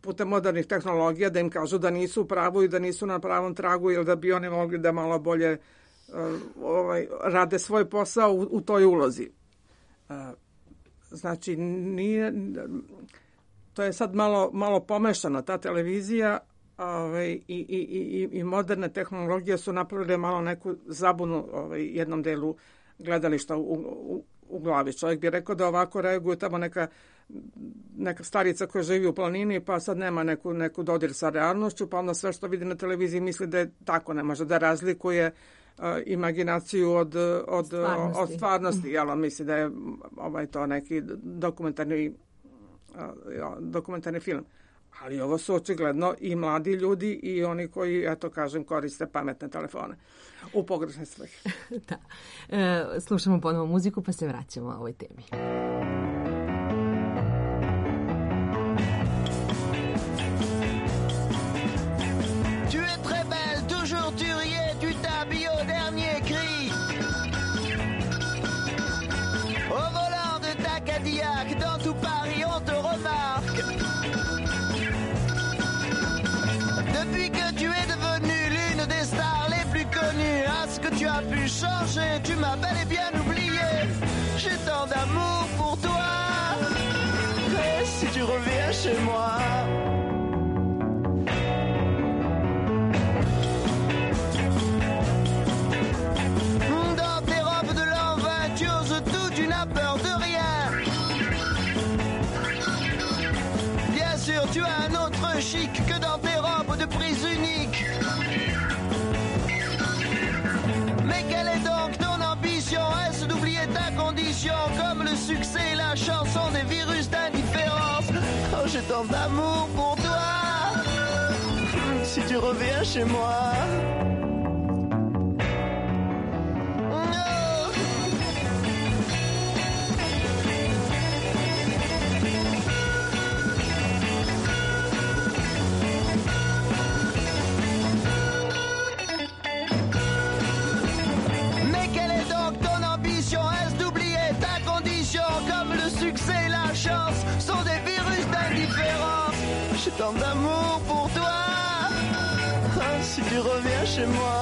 putem modernih tehnologija, da im kažu da nisu u pravu i da nisu na pravom tragu, ili da bi oni mogli da malo bolje ovaj, rade svoj posao u, u toj ulozi. Znači, nije, to je sad malo, malo pomešano, ta televizija ovaj, i, i, i, i moderne tehnologije su napravile malo neku zabunu ovaj, jednom delu gledališta u, u, u glavi. Čovjek bi rekao da ovako reaguju tamo neka, neka starica koja živi u planini, pa sad nema neku, neku dodir sa realnošću, pa onda sve što vidi na televiziji misli da je tako, ne može da razlikuje uh, imaginaciju od, od stvarnosti, od stvarnosti jel, misli da je ovaj, to neki dokumentarni, uh, dokumentarni film. Ali ovo su očigledno i mladi ljudi i oni koji, eto kažem, koriste pametne telefone u pogrešne svrhe. Da. E, slušamo ponovo muziku pa se vraćamo o ovoj temi. Tu es très belle, toujours tu riais, tu t'habilles au dernier cri. Au volant de ta Cadillac, dans tout Paris on te remarque. Depuis que tu es devenue l'une des stars les plus connues, à ce que tu as pu changer, tu m'as bel et bien oublié. J'ai tant d'amour pour toi. Et si tu reviens chez moi, dans tes robes de l'an vingt, tu oses tout, tu n'as peur de rien. Bien sûr, tu as un autre chic que dans tes robes de prise unique. Mais quelle est donc ton ambition? Est-ce d'oublier ta condition, comme le succès et la chanson des virus d'indifférence? Oh, j'ai tant d'amour pour toi. Si tu reviens chez moi. Sont des virus d'indifférence. J'ai tant d'amour pour toi. Oh, si tu reviens chez moi.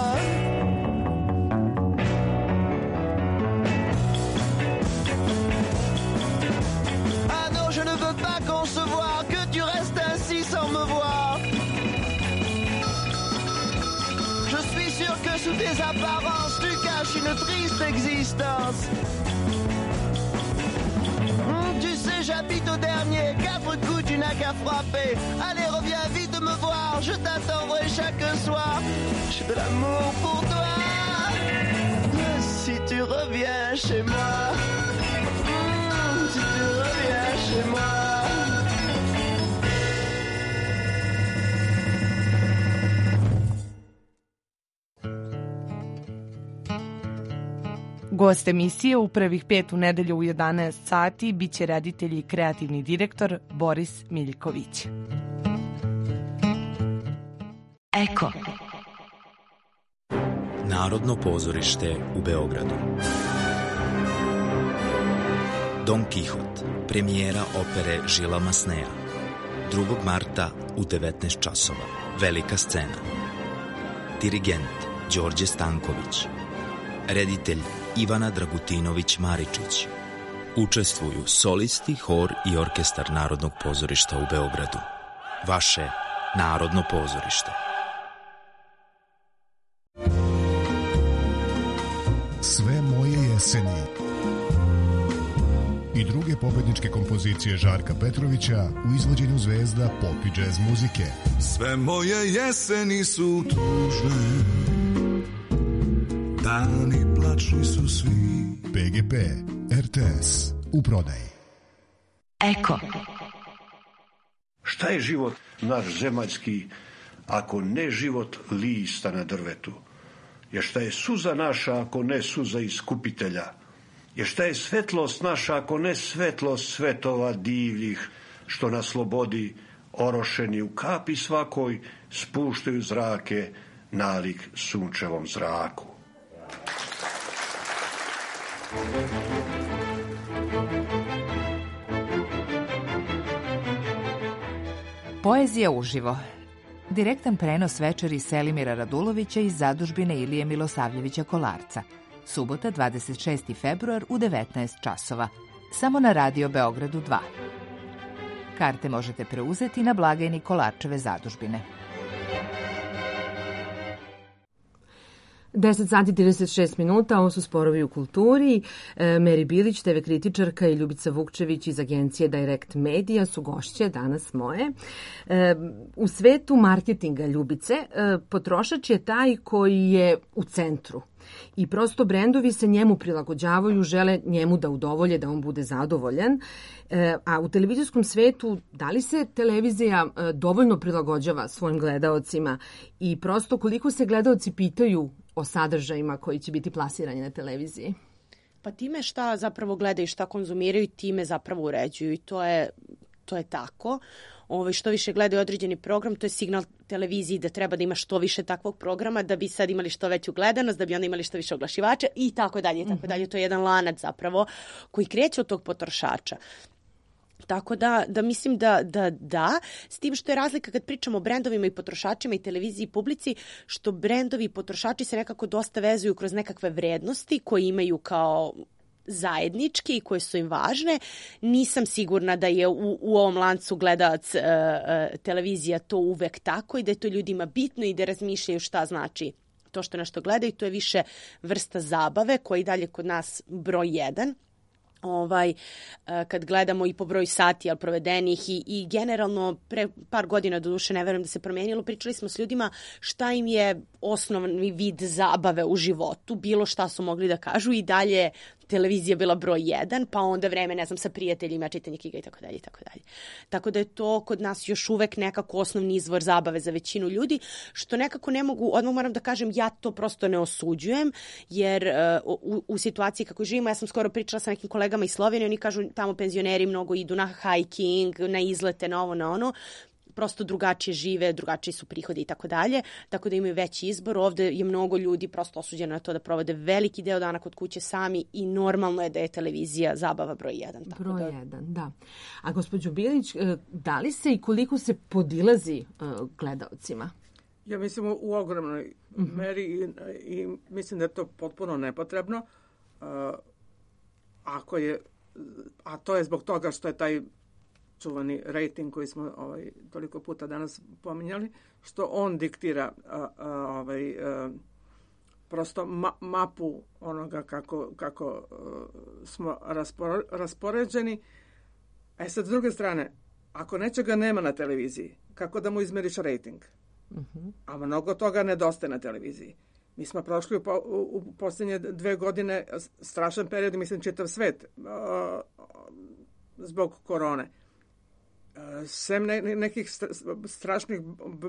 Ah non, je ne veux pas concevoir que tu restes ainsi sans me voir. Je suis sûr que sous tes apparences tu caches une triste existence. Tu sais, j'habite au dernier, quatre coups tu n'as qu'à frapper. Allez, reviens vite me voir, je t'attendrai chaque soir. J'ai de l'amour pour toi. Si tu reviens chez moi, mmh, si tu reviens chez moi. Gost emisije u prvih pet u nedelju u jedanaest sati biće reditelj i kreativni direktor Boris Miljković. Eko. Narodno pozorište u Beogradu. Don Kihot, premijera opere Žila Masneja. drugog marta u devetnaest časova. Velika scena. dirigent Đorđe Stanković, reditelj Ivana Dragutinović-Maričić. Učestvuju solisti, hor i orkestar Narodnog pozorišta u Beogradu. Vaše Narodno pozorište. Sve moje jeseni i druge pobedničke kompozicije Žarka Petrovića u izvođenju zvezda pop i džez muzike. Sve moje jeseni su tužne, dani plačni su svi. P G P, R T S, u prodaji. Eko. Šta je život naš zemaljski, ako ne život lista na drvetu? Jer šta je suza naša, ako ne suza iskupitelja? Jer šta je svetlost naša, ako ne svetlost svetova divljih, što na slobodi orošeni u kapi svakoj spuštaju zrake nalik sunčevom zraku? Poezija uživo. Direktan prenos večeri Selimira Radulovića iz zadužbine Ilije Milosavljevića Kolarca. Subota, dvadeset šesti februar u devetnaest časova. Samo na Radio Beogradu dva. Karte možete preuzeti na blagajni Kolarčeve zadužbine. deset sati trideset šest minuta, ovo su Sporovi u kulturi. E, Meri Bilić, te ve kritičarka, i Ljubica Vukčević iz agencije Direct Media su gošće danas moje. E, u svetu marketinga, Ljubice, e, potrošač je taj koji je u centru. I prosto brendovi se njemu prilagođavaju, žele njemu da udovolje, da on bude zadovoljan. E, a u televizijskom svetu, da li se televizija e, dovoljno prilagođava svojim gledaocima i prosto koliko se gledaoci pitaju o sadržajima koji će biti plasirani na televiziji? Pa time šta zapravo gledaju, šta konzumiraju, time zapravo uređuju i to je, to je tako. Ovo, što više gledaju određeni program, to je signal televiziji da treba da ima što više takvog programa, da bi sad imali što veću gledanost, da bi onda imali što više oglašivača i tako dalje, i tako dalje. To je jedan lanac zapravo koji kreće od tog potrošača. Tako da, da mislim da, da da, s tim što je razlika kad pričamo o brendovima i potrošačima i televiziji i publici, što brendovi i potrošači se nekako dosta vezuju kroz nekakve vrednosti koje imaju kao zajednički i koje su im važne. Nisam sigurna da je u, u ovom lancu gledalac e, e, televizija to uvek tako i da je to ljudima bitno i da razmišljaju šta znači to što nešto gledaju. To je više vrsta zabave koja i dalje kod nas broj jedan. Ovaj, kad gledamo i po broju sati ali provedenih i, i generalno pre par godina, doduše ne verujem da se promenilo, pričali smo s ljudima šta im je osnovni vid zabave u životu, bilo šta su mogli da kažu i dalje televizija bila broj jedan, pa onda vreme, ne znam, sa prijateljima, čitanje knjiga i tako dalje i tako dalje. Tako da je to kod nas još uvek nekako osnovni izvor zabave za većinu ljudi, što nekako ne mogu, odmah moram da kažem, ja to prosto ne osuđujem, jer uh, u, u situaciji kako živimo, ja sam skoro pričala sa nekim kolegama iz Slovenije, oni kažu tamo penzioneri mnogo idu na hiking, na izlete, na ovo, na ono, prosto drugačije žive, drugačiji su prihodi i tako dalje, tako da imaju veći izbor. Ovde je mnogo ljudi prosto osuđeno na to da provode veliki deo dana kod kuće sami i normalno je da je televizija zabava broj jedan. Tako broj da... jedan, da. A gospođo Bilić, da li se i koliko se podilazi uh, gledaocima? Ja mislim u ogromnoj uh-huh. meri i, i mislim da je to potpuno nepotrebno. Uh, ako je, a to je zbog toga što je taj čuvani rating koji smo ovaj, toliko puta danas pominjali, što on diktira a, a, ovaj, a, prosto ma, mapu onoga kako, kako a, smo raspor, raspoređeni. E sad, s druge strane, ako nečega nema na televiziji, kako da mu izmeriš rating? Uh-huh. A mnogo toga nedostaje na televiziji. Mi smo prošli u, po, u, u posljednje dve godine strašan period, mislim čitav svet, a, zbog korone. Sem ne, nekih strašnih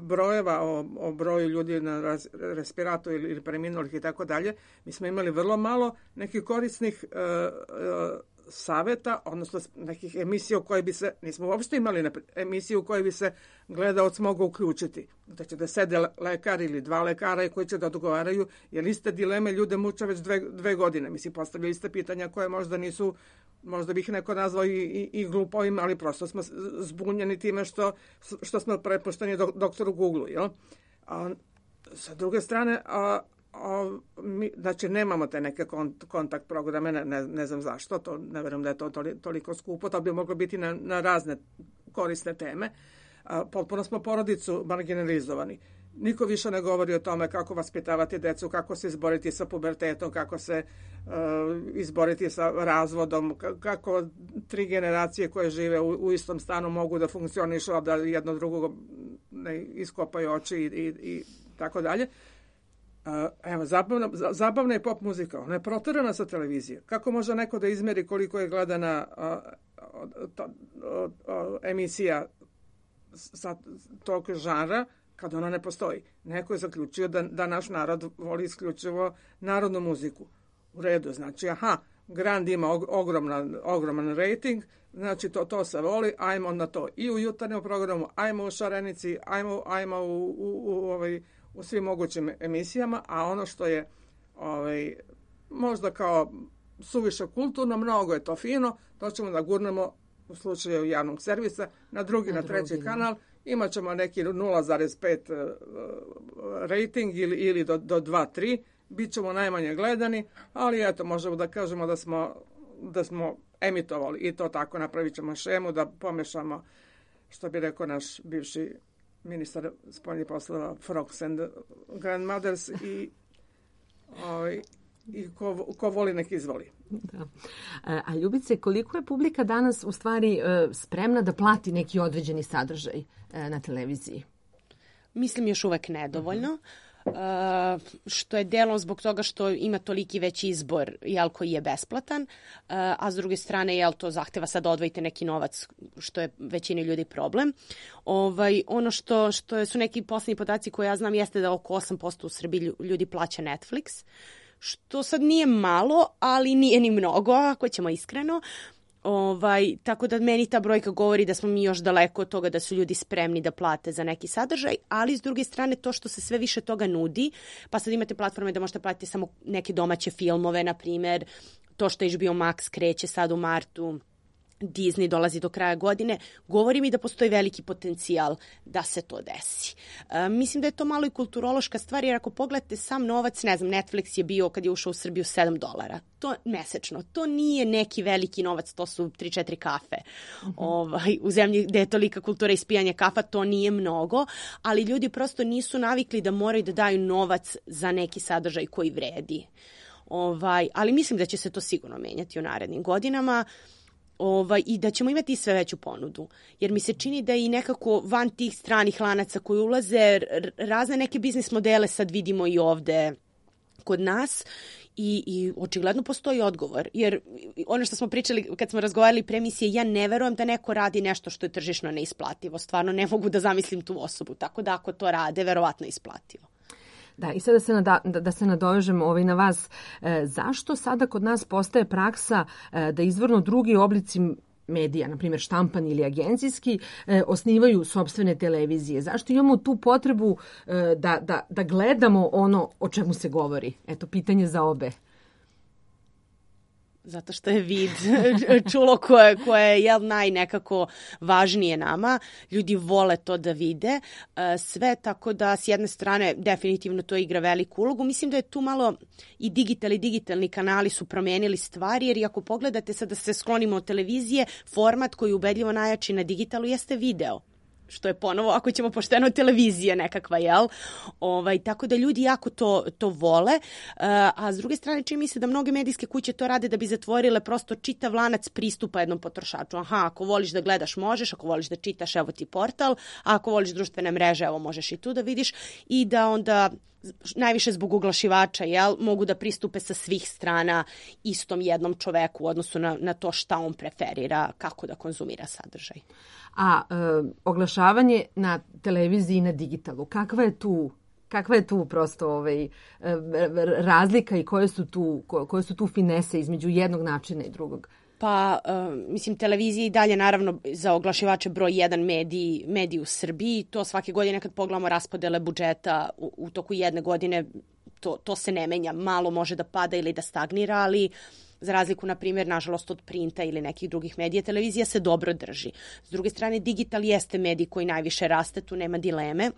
brojeva o, o broju ljudi na raz, respiratu ili, ili preminulih i tako dalje, mi smo imali vrlo malo nekih korisnih uh, uh, saveta, odnosno nekih emisija u kojoj bi se, nismo uopšte imali na, emisiju u kojoj bi se gledaoc mogao uključiti. Da će da sede lekar ili dva lekara koji će da odgovaraju, jer iste dileme ljude muče već dve, dve godine. Mislim, postavljaju iste pitanja koje možda nisu, možda bih neko nazvao i, i, i glupovima, ali prosto smo zbunjeni time što, što smo prepušteni do, doktoru Google, jel? A, sa druge strane, a, a, mi, znači nemamo te neke kont, kontakt programe, ne, ne, ne znam zašto, to, ne verujem da je to toli, toliko skupo, to bi moglo biti na, na razne korisne teme. A, potpuno smo porodicu marginalizovani. Niko više ne govori o tome kako vaspitavati decu, kako se izboriti sa pubertetom, kako se uh, izboriti sa razvodom, kako tri generacije koje žive u, u istom stanu mogu da funkcionišu, a da jedno drugog ne iskopaju oči i, i, i tako dalje. Uh, evo, zabavna, zabavna je pop muzika, ona je proterana sa televizije. Kako može neko da izmeri koliko je gledana uh, uh, uh, uh, emisija sa tog žanra, kad ona ne postoji? Neko je zaključio da, da naš narod voli isključivo narodnu muziku. U redu, znači, aha, Grand ima og, ogroman, ogroman rating, znači to, to se voli, ajmo na to. I u jutarnjem programu, ajmo u Šarenici, ajmo, ajmo u, u, u, ovaj, u svim mogućim emisijama, a ono što je ovaj, možda kao suviše kulturno, mnogo je to fino, to ćemo da gurnemo u slučaju javnog servisa, na drugi, na, na treći drugi, kanal, imat ćemo neki nula zarez pet uh, rating ili, ili do, do dva tri, bit ćemo najmanje gledani, ali eto, možemo da kažemo da smo, da smo emitovali i to tako, napravit ćemo šemu, da pomešamo, što bi rekao naš bivši ministar spoljnih poslova, Frogs and Grandmothers i ovaj, i ko, ko voli nek izvoli. Da. A Ljubice, koliko je publika danas u stvari spremna da plati neki određeni sadržaj na televiziji? Mislim još uvek nedovoljno. Uh, što je delom zbog toga što ima toliki veći izbor, jel, koji je besplatan, uh, a s druge strane, jel, to zahteva sad da odvojite neki novac, što je većini ljudi problem. Ovaj, ono što, što su neki poslednji podaci koje ja znam jeste da oko osam posto u Srbiji ljudi plaća Netflix, što sad nije malo, ali nije ni mnogo, ako ćemo iskreno. Ovaj, tako da meni ta brojka govori da smo mi još daleko od toga da su ljudi spremni da plate za neki sadržaj, ali s druge strane to što se sve više toga nudi, pa sad imate platforme da možete platiti samo neke domaće filmove, na primjer, to što H B O Max kreće sad u martu, Disney dolazi do kraja godine, govori mi da postoji veliki potencijal da se to desi. E, mislim da je to malo i kulturološka stvar, jer ako pogledate sam novac, ne znam, Netflix je bio kad je ušao u Srbiju sedam dolara. To mesečno. To nije neki veliki novac, to su tri četiri kafe. Uh-huh. Ovaj, u zemlji gde je tolika kultura ispijanja kafa, to nije mnogo, ali ljudi prosto nisu navikli da moraju da daju novac za neki sadržaj koji vredi. Ovaj, ali mislim da će se to sigurno menjati u narednim godinama. Ovaj, i da ćemo imati sve veću ponudu. Jer mi se čini da i nekako van tih stranih lanaca koji ulaze, razne neke biznis modele sad vidimo i ovde kod nas i, i očigledno postoji odgovor. Jer ono što smo pričali kad smo razgovarali pre emisije, ja ne verujem da neko radi nešto što je tržišno neisplativo. Stvarno ne mogu da zamislim tu osobu. Tako da ako to rade, verovatno isplativo. Da, i sada da se, nada, da se nadovežemo ovaj na vas. E, zašto sada kod nas postaje praksa e, da izvorno drugi oblici medija, na primjer štampani ili agencijski, e, osnivaju sopstvene televizije? Zašto imamo tu potrebu e, da, da, da gledamo ono o čemu se govori? Eto, pitanje za obe. Zato što je vid čulo koje, koje je jel, naj nekako važnije nama. Ljudi vole to da vide. Sve tako da s jedne strane definitivno to igra veliku ulogu. Mislim da je tu malo i digital i digitalni kanali su promenili stvari, jer ako pogledate sad da se sklonimo od televizije, format koji ubedljivo najjači na digitalu jeste video. Što je ponovo, ako ćemo pošteno, televizija nekakva, jel? Ovaj, tako da ljudi jako to, to vole, uh, a s druge strane čini mi se da mnoge medijske kuće to rade da bi zatvorile prosto čitav lanac pristupa jednom potrošaču. Aha, ako voliš da gledaš možeš, ako voliš da čitaš, evo ti portal, a ako voliš društvene mreže, evo možeš i tu da vidiš, i da onda najviše zbog oglašivača, jel, mogu da pristupe sa svih strana istom jednom čoveku u odnosu na, na to šta on preferira, kako da konzumira sadržaj. A e, oglašavanje na televiziji i na digitalu, kakva je tu, kakva je tu prosto ovaj, razlika i koje su tu, koje su tu finese između jednog načina i drugog? Pa, uh, mislim, televizija i dalje naravno za oglašivače broj jedan mediji, mediji u Srbiji. To svake godine kad pogledamo raspodele budžeta u, u toku jedne godine, to, to se ne menja. Malo može da pada ili da stagnira, ali za razliku, na primjer, nažalost, od printa ili nekih drugih medija, televizija se dobro drži. S druge strane, digital jeste medij koji najviše raste, tu nema dileme.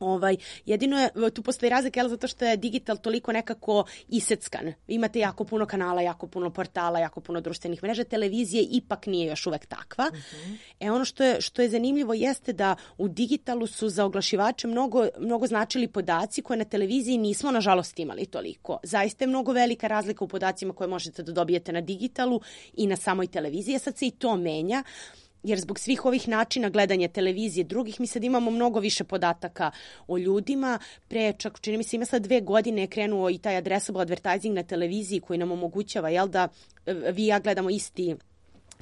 Ovaj, jedino je, tu postoji razlika, jel, zato što je digital toliko nekako iseckan. Imate jako puno kanala, jako puno portala, jako puno društvenih mreža. Televizije ipak nije još uvek takva. Uh-huh. E ono što je, što je zanimljivo jeste da u digitalu su za oglašivače mnogo, mnogo značili podaci koje na televiziji nismo, nažalost, imali toliko. Zaista je mnogo velika razlika u podacima koje možete da dobijete na digitalu i na samoj televiziji. Sad se i to menja. Jer zbog svih ovih načina gledanja televizije drugih, mi sad imamo mnogo više podataka o ljudima. Pre, čak čini mi se, ima sad dve godine je krenuo i taj addressable advertising na televiziji koji nam omogućava, jel, da vi i ja gledamo isti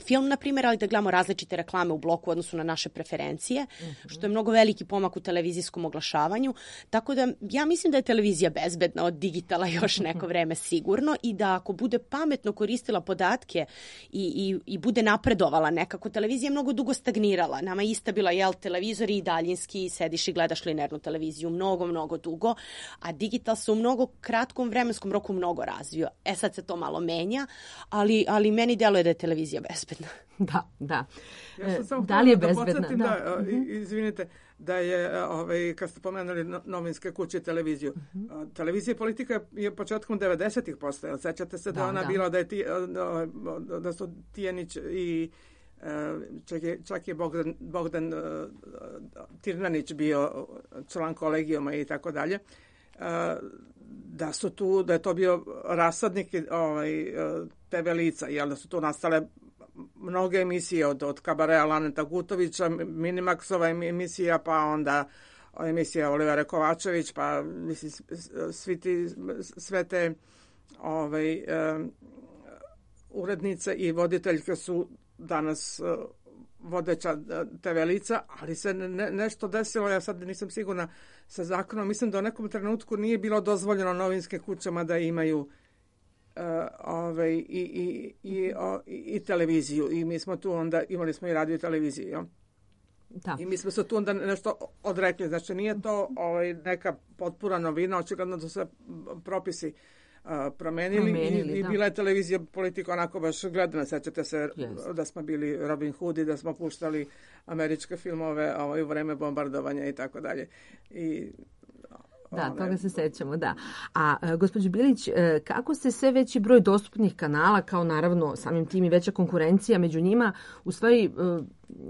film, na primjer, ali da gledamo različite reklame u bloku u odnosu na naše preferencije, mm-hmm. što je mnogo veliki pomak u televizijskom oglašavanju. Tako da ja mislim da je televizija bezbedna od digitala još neko vreme sigurno i da ako bude pametno koristila podatke i, i, i bude napredovala nekako, televizija je mnogo dugo stagnirala. Nama je ista bila, jel, televizori i daljinski, sediš i gledaš linearnu televiziju mnogo, mnogo dugo, a digital se u mnogo kratkom vremenskom roku mnogo razvio. E sad se to malo menja, ali, ali meni deluje da je televizija bezbedna. Da, da. Ja sam samo da li je da bezbedna? Da, da, izvinite, da je, ovaj, kad ste pomenuli novinske kuće i televiziju, uh-huh. televizija i politika je početkom devedesetih postojala. Sećate se da, da ona da. bila da, je ti, da, da su Tijanić i čak je, čak je Bogdan, Bogdan Tirnanić bio član kolegijuma i tako dalje. Da su tu, da je to bio rasadnik ovaj, te ve lica, jel, da su tu nastale mnoge emisije od, od Kabarea Laneta Gutovića, Minimaxova emisija, pa onda emisija Olivera Kovačević, pa mislim, svi ti, sve te ovaj, um, urednice i voditeljke su danas uh, vodeća te ve lica, ali se ne, nešto desilo, ja sad nisam sigurna sa zakonom, mislim da u nekom trenutku nije bilo dozvoljeno novinske kućama da imaju Uh, ovaj, i, i, i, o, i televiziju i mi smo tu onda, imali smo i radio i televiziju, ja? Da. I mi smo se tu onda nešto odrekli, znači nije to ovaj, neka potpuna novina, očigledno da su se propisi uh, promenili, promenili i, i bila je televizija politika onako baš gledana, sećate se yes. da smo bili Robin Hood i da smo puštali američke filmove ovaj, u vreme bombardovanja i tako dalje. I Da, toga se sećamo, da. A gospođo Bilić, kako se sve veći broj dostupnih kanala, kao naravno samim tim i veća konkurencija među njima, u stvari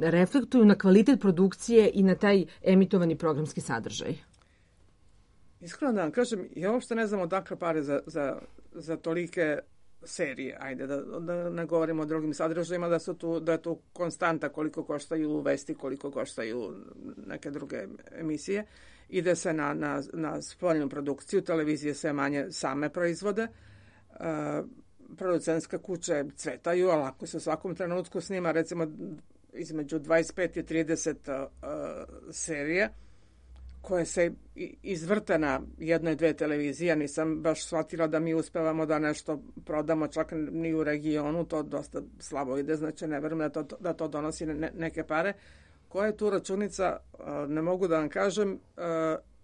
reflektuju na kvalitet produkcije i na taj emitovani programski sadržaj? Iskreno da vam kažem, ja uopšte ne znam odakle pare za, za, za tolike serije, ajde da, da ne govorimo o drugim sadržajima, da, su tu, da je tu konstanta koliko koštaju vesti, koliko koštaju neke druge emisije. Ide se na, na, na spoljnu produkciju, televizije sve manje same proizvode, uh, producentske kuće cvetaju, ali ako se u svakom trenutku snima recimo između dvadeset pet i trideset uh, serije, koje se izvrte na jednoj, dve televizije, nisam baš shvatila da mi uspevamo da nešto prodamo čak ni u regionu, to dosta slabo ide, znači ne verujem da to, da to donosi ne, neke pare. Koja je tu računica, ne mogu da vam kažem,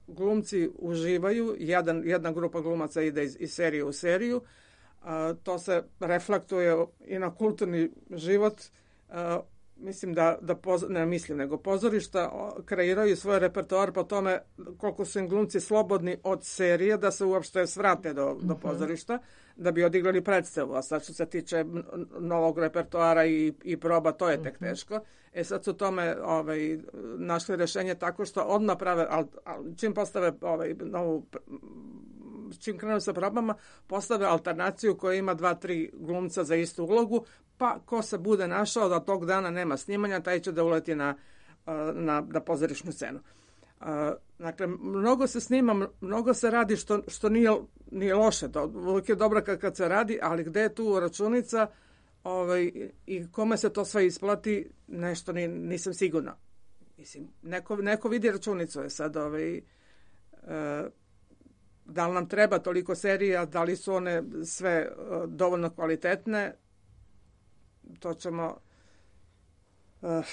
glumci uživaju, Jedan, jedna grupa glumaca ide iz, iz serije u seriju, to se reflektuje i na kulturni život. Mislim da, da poz, ne mislim, nego pozorišta kreiraju svoj repertoar po tome koliko su im glumci slobodni od serije da se uopšte svrate do, do pozorišta, da bi odigrali predstavu. A sad što se tiče novog repertoara i, i proba, to je tek teško. E sad su tome ovaj, našli rešenje tako što odmah prave, al, al, čim postave ovaj, novu, čim krenu sa probama, postave alternaciju koja ima dva, tri glumca za istu ulogu, pa ko se bude našao da tog dana nema snimanja, taj će da uleti na, na, na pozorišnu scenu. Dakle, mnogo se snima, mnogo se radi što, što nije, nije loše, to uvijek je dobro kad, kad se radi, ali gde je tu računica ovaj, i kome se to sve isplati, nešto ni, nisam sigurna. Mislim, neko, neko vidi računicu je sad, ovaj, e, da li nam treba toliko serija, da li su one sve dovoljno kvalitetne, to ćemo uh,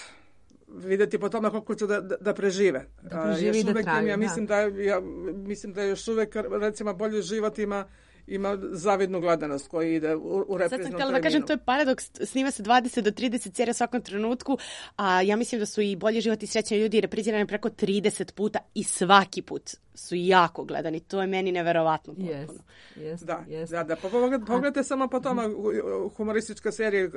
vidjeti po tome koliko će da, da, da prežive. Da preživi i da traju, ja mislim da, ja mislim da još uvek recimo bolji život ima ima zavidnu gledanost koji ide u, u repriznom terminu. Sad sam htjela da kažem, to je paradoks, snima se dvadeset do trideset serija svakom trenutku, a ja mislim da su i Bolji život i Srećni ljudi reprizirani preko trideset puta i svaki put su jako gledani. To je meni neverovatno potpuno. Yes, yes, da, yes. da, da, pa pogledajte, pogledajte samo po tome humoristička serija,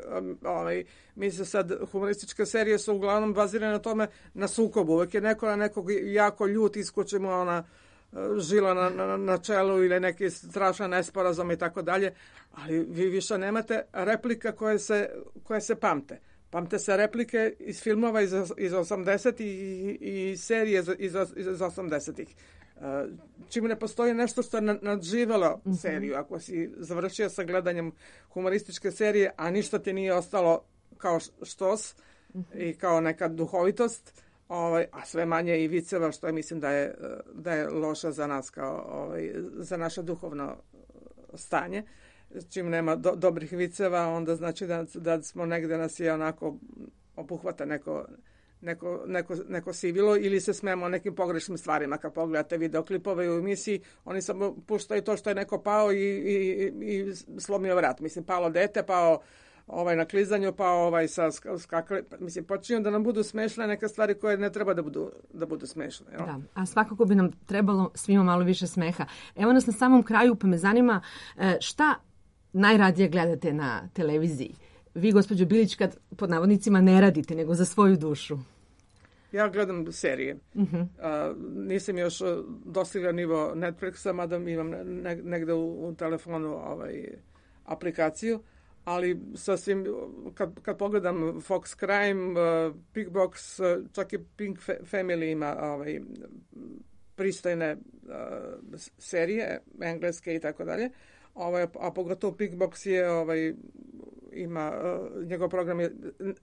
ovaj, mi se sad, humorističke serije su uglavnom bazirane na tome, na sukobu. Uvijek je neko na nekog jako ljut, iskoči mu ona žila na, na, na čelu ili neki strašan nesporazum i tako dalje, ali vi više nemate replika koje se, koje se pamte. Pamte se replike iz filmova iz, iz osamdesetih i, i serije iz, iz, iz osamdesetih. Čim ne postoji nešto što je nadživelo seriju, ako si završio sa gledanjem humorističke serije, a ništa ti nije ostalo kao štos i kao neka duhovitost, ovaj, a sve manje i viceva, što je, mislim da je, da je loše za nas, kao, ovaj, za naše duhovno stanje. Čim nema do, dobrih viceva, onda znači da, da smo negde nas je onako obuhvata neko, neko, neko, neko sivilo ili se smemo nekim pogrešnim stvarima. Kad pogledate videoklipove u emisiji, oni samo puštaju to što je neko pao i, i, i slomio vrat. Mislim, palo dete, pao ovaj na klizanju, pa ovaj sa skakali, mislim, počinju da nam budu smešne neke stvari koje ne treba da budu, da budu smešne. Jel? Da, a svakako bi nam trebalo svima malo više smeha. Evo nas na samom kraju, pa me zanima šta najradije gledate na televiziji? Vi, gospođo Bilić, kad pod navodnicima ne radite, nego za svoju dušu. Ja gledam serije. Uh-huh. A, nisam još dostigla nivo Netflixa, mada imam ne, negde u, u telefonu ovaj, aplikaciju. Ali sasvim, kad, kad pogledam Fox Crime, uh, Pink Box, uh, čak i Pink Family ima ovaj, pristojne uh, serije, engleske i tako dalje, ovaj, a pogotovo Pink Box je, ovaj, ima, uh, njegov program je,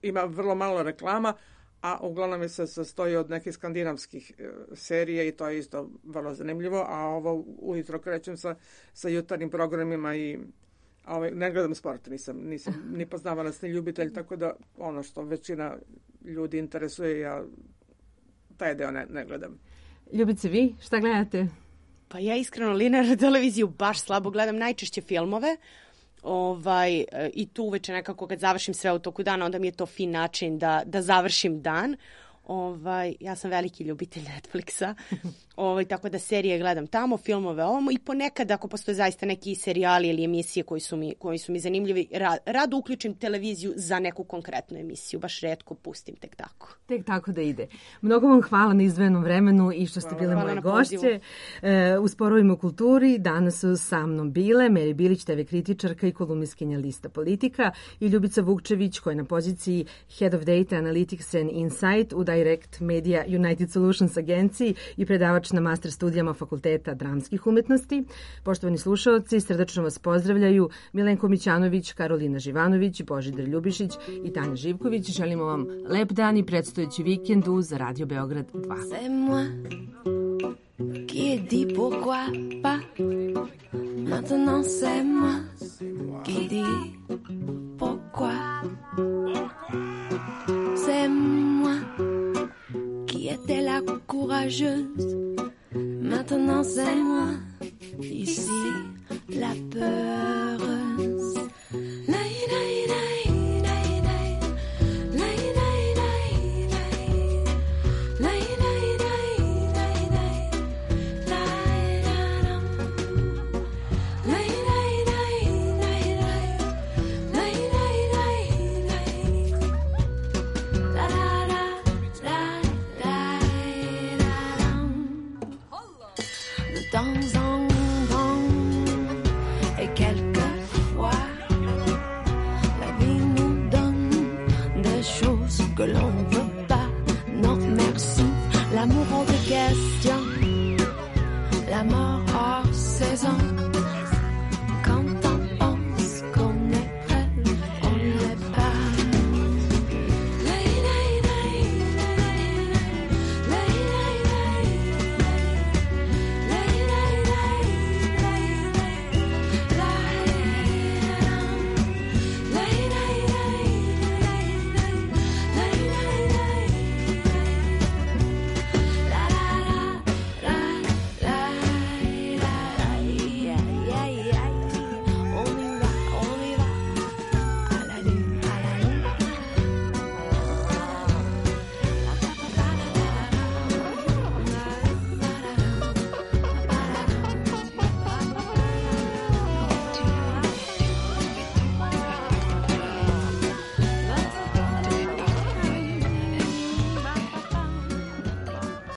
ima vrlo malo reklama, a uglavnom je se sastoji od nekih skandinavskih uh, serije i to je isto vrlo zanimljivo, a ovo ujutro krećem sa, sa jutarnjim programima i ovaj, ne gledam sport, nisam, nisam ni poznavalac ni ljubitelj, tako da ono što većina ljudi interesuje, ja taj deo ne, ne gledam. Ljubice, vi šta gledate? Pa ja iskreno linearnu televiziju baš slabo gledam, najčešće filmove. Ovaj, i tu uveče nekako kad završim sve u toku dana, onda mi je to fin način da, da završim dan. Ovaj, ja sam veliki ljubitelj Netflixa, ovaj, tako da serije gledam tamo, filmove ovamo i ponekad ako postoje zaista neki serijali ili emisije koji su mi, koji su mi zanimljivi, rad, rado uključim televiziju za neku konkretnu emisiju, baš retko pustim tek tako. Tek tako da ide. Mnogo vam hvala na izdvojenom vremenu i što ste bile moje gošće. E, u Sporovima u kulturi danas su sa mnom bile Meri Bilić, te ve kritičarka i kolumnistkinja Lista Politika, i Ljubica Vukčević, koja je na poziciji Head of Data Analytics and Insight u Direct Media United Solutions agenciji i predavač na master studijama Fakulteta dramskih umetnosti. Poštovani slušaoci, srdačno vas pozdravljaju Milenko Mićanović, Karolina Živanović, Božidar Ljubišić i Tanja Živković. Želimo vam lep dan i predstojeći vikend uz Radio Beograd dva. C'est moi qui ai dit pourquoi pas. Maintenant c'est moi qui dis pourquoi. C'est moi qui était la courageuse. Maintenant c'est moi, ici, la peureuse. Lai, lai, lai, lai, lai. Lai, lai, lai, lai. Lai, lai, lai, lai, lai. Lai, la, lam. Lai, lai, lai, lai, lai. Lai, lai, lai, lai. La, la, la, la, la, la, lam. De temps en temps et quelquefois, la vie nous donne des choses que l'on ne veut pas. Non merci, l'amour hors de question, la mort hors saison.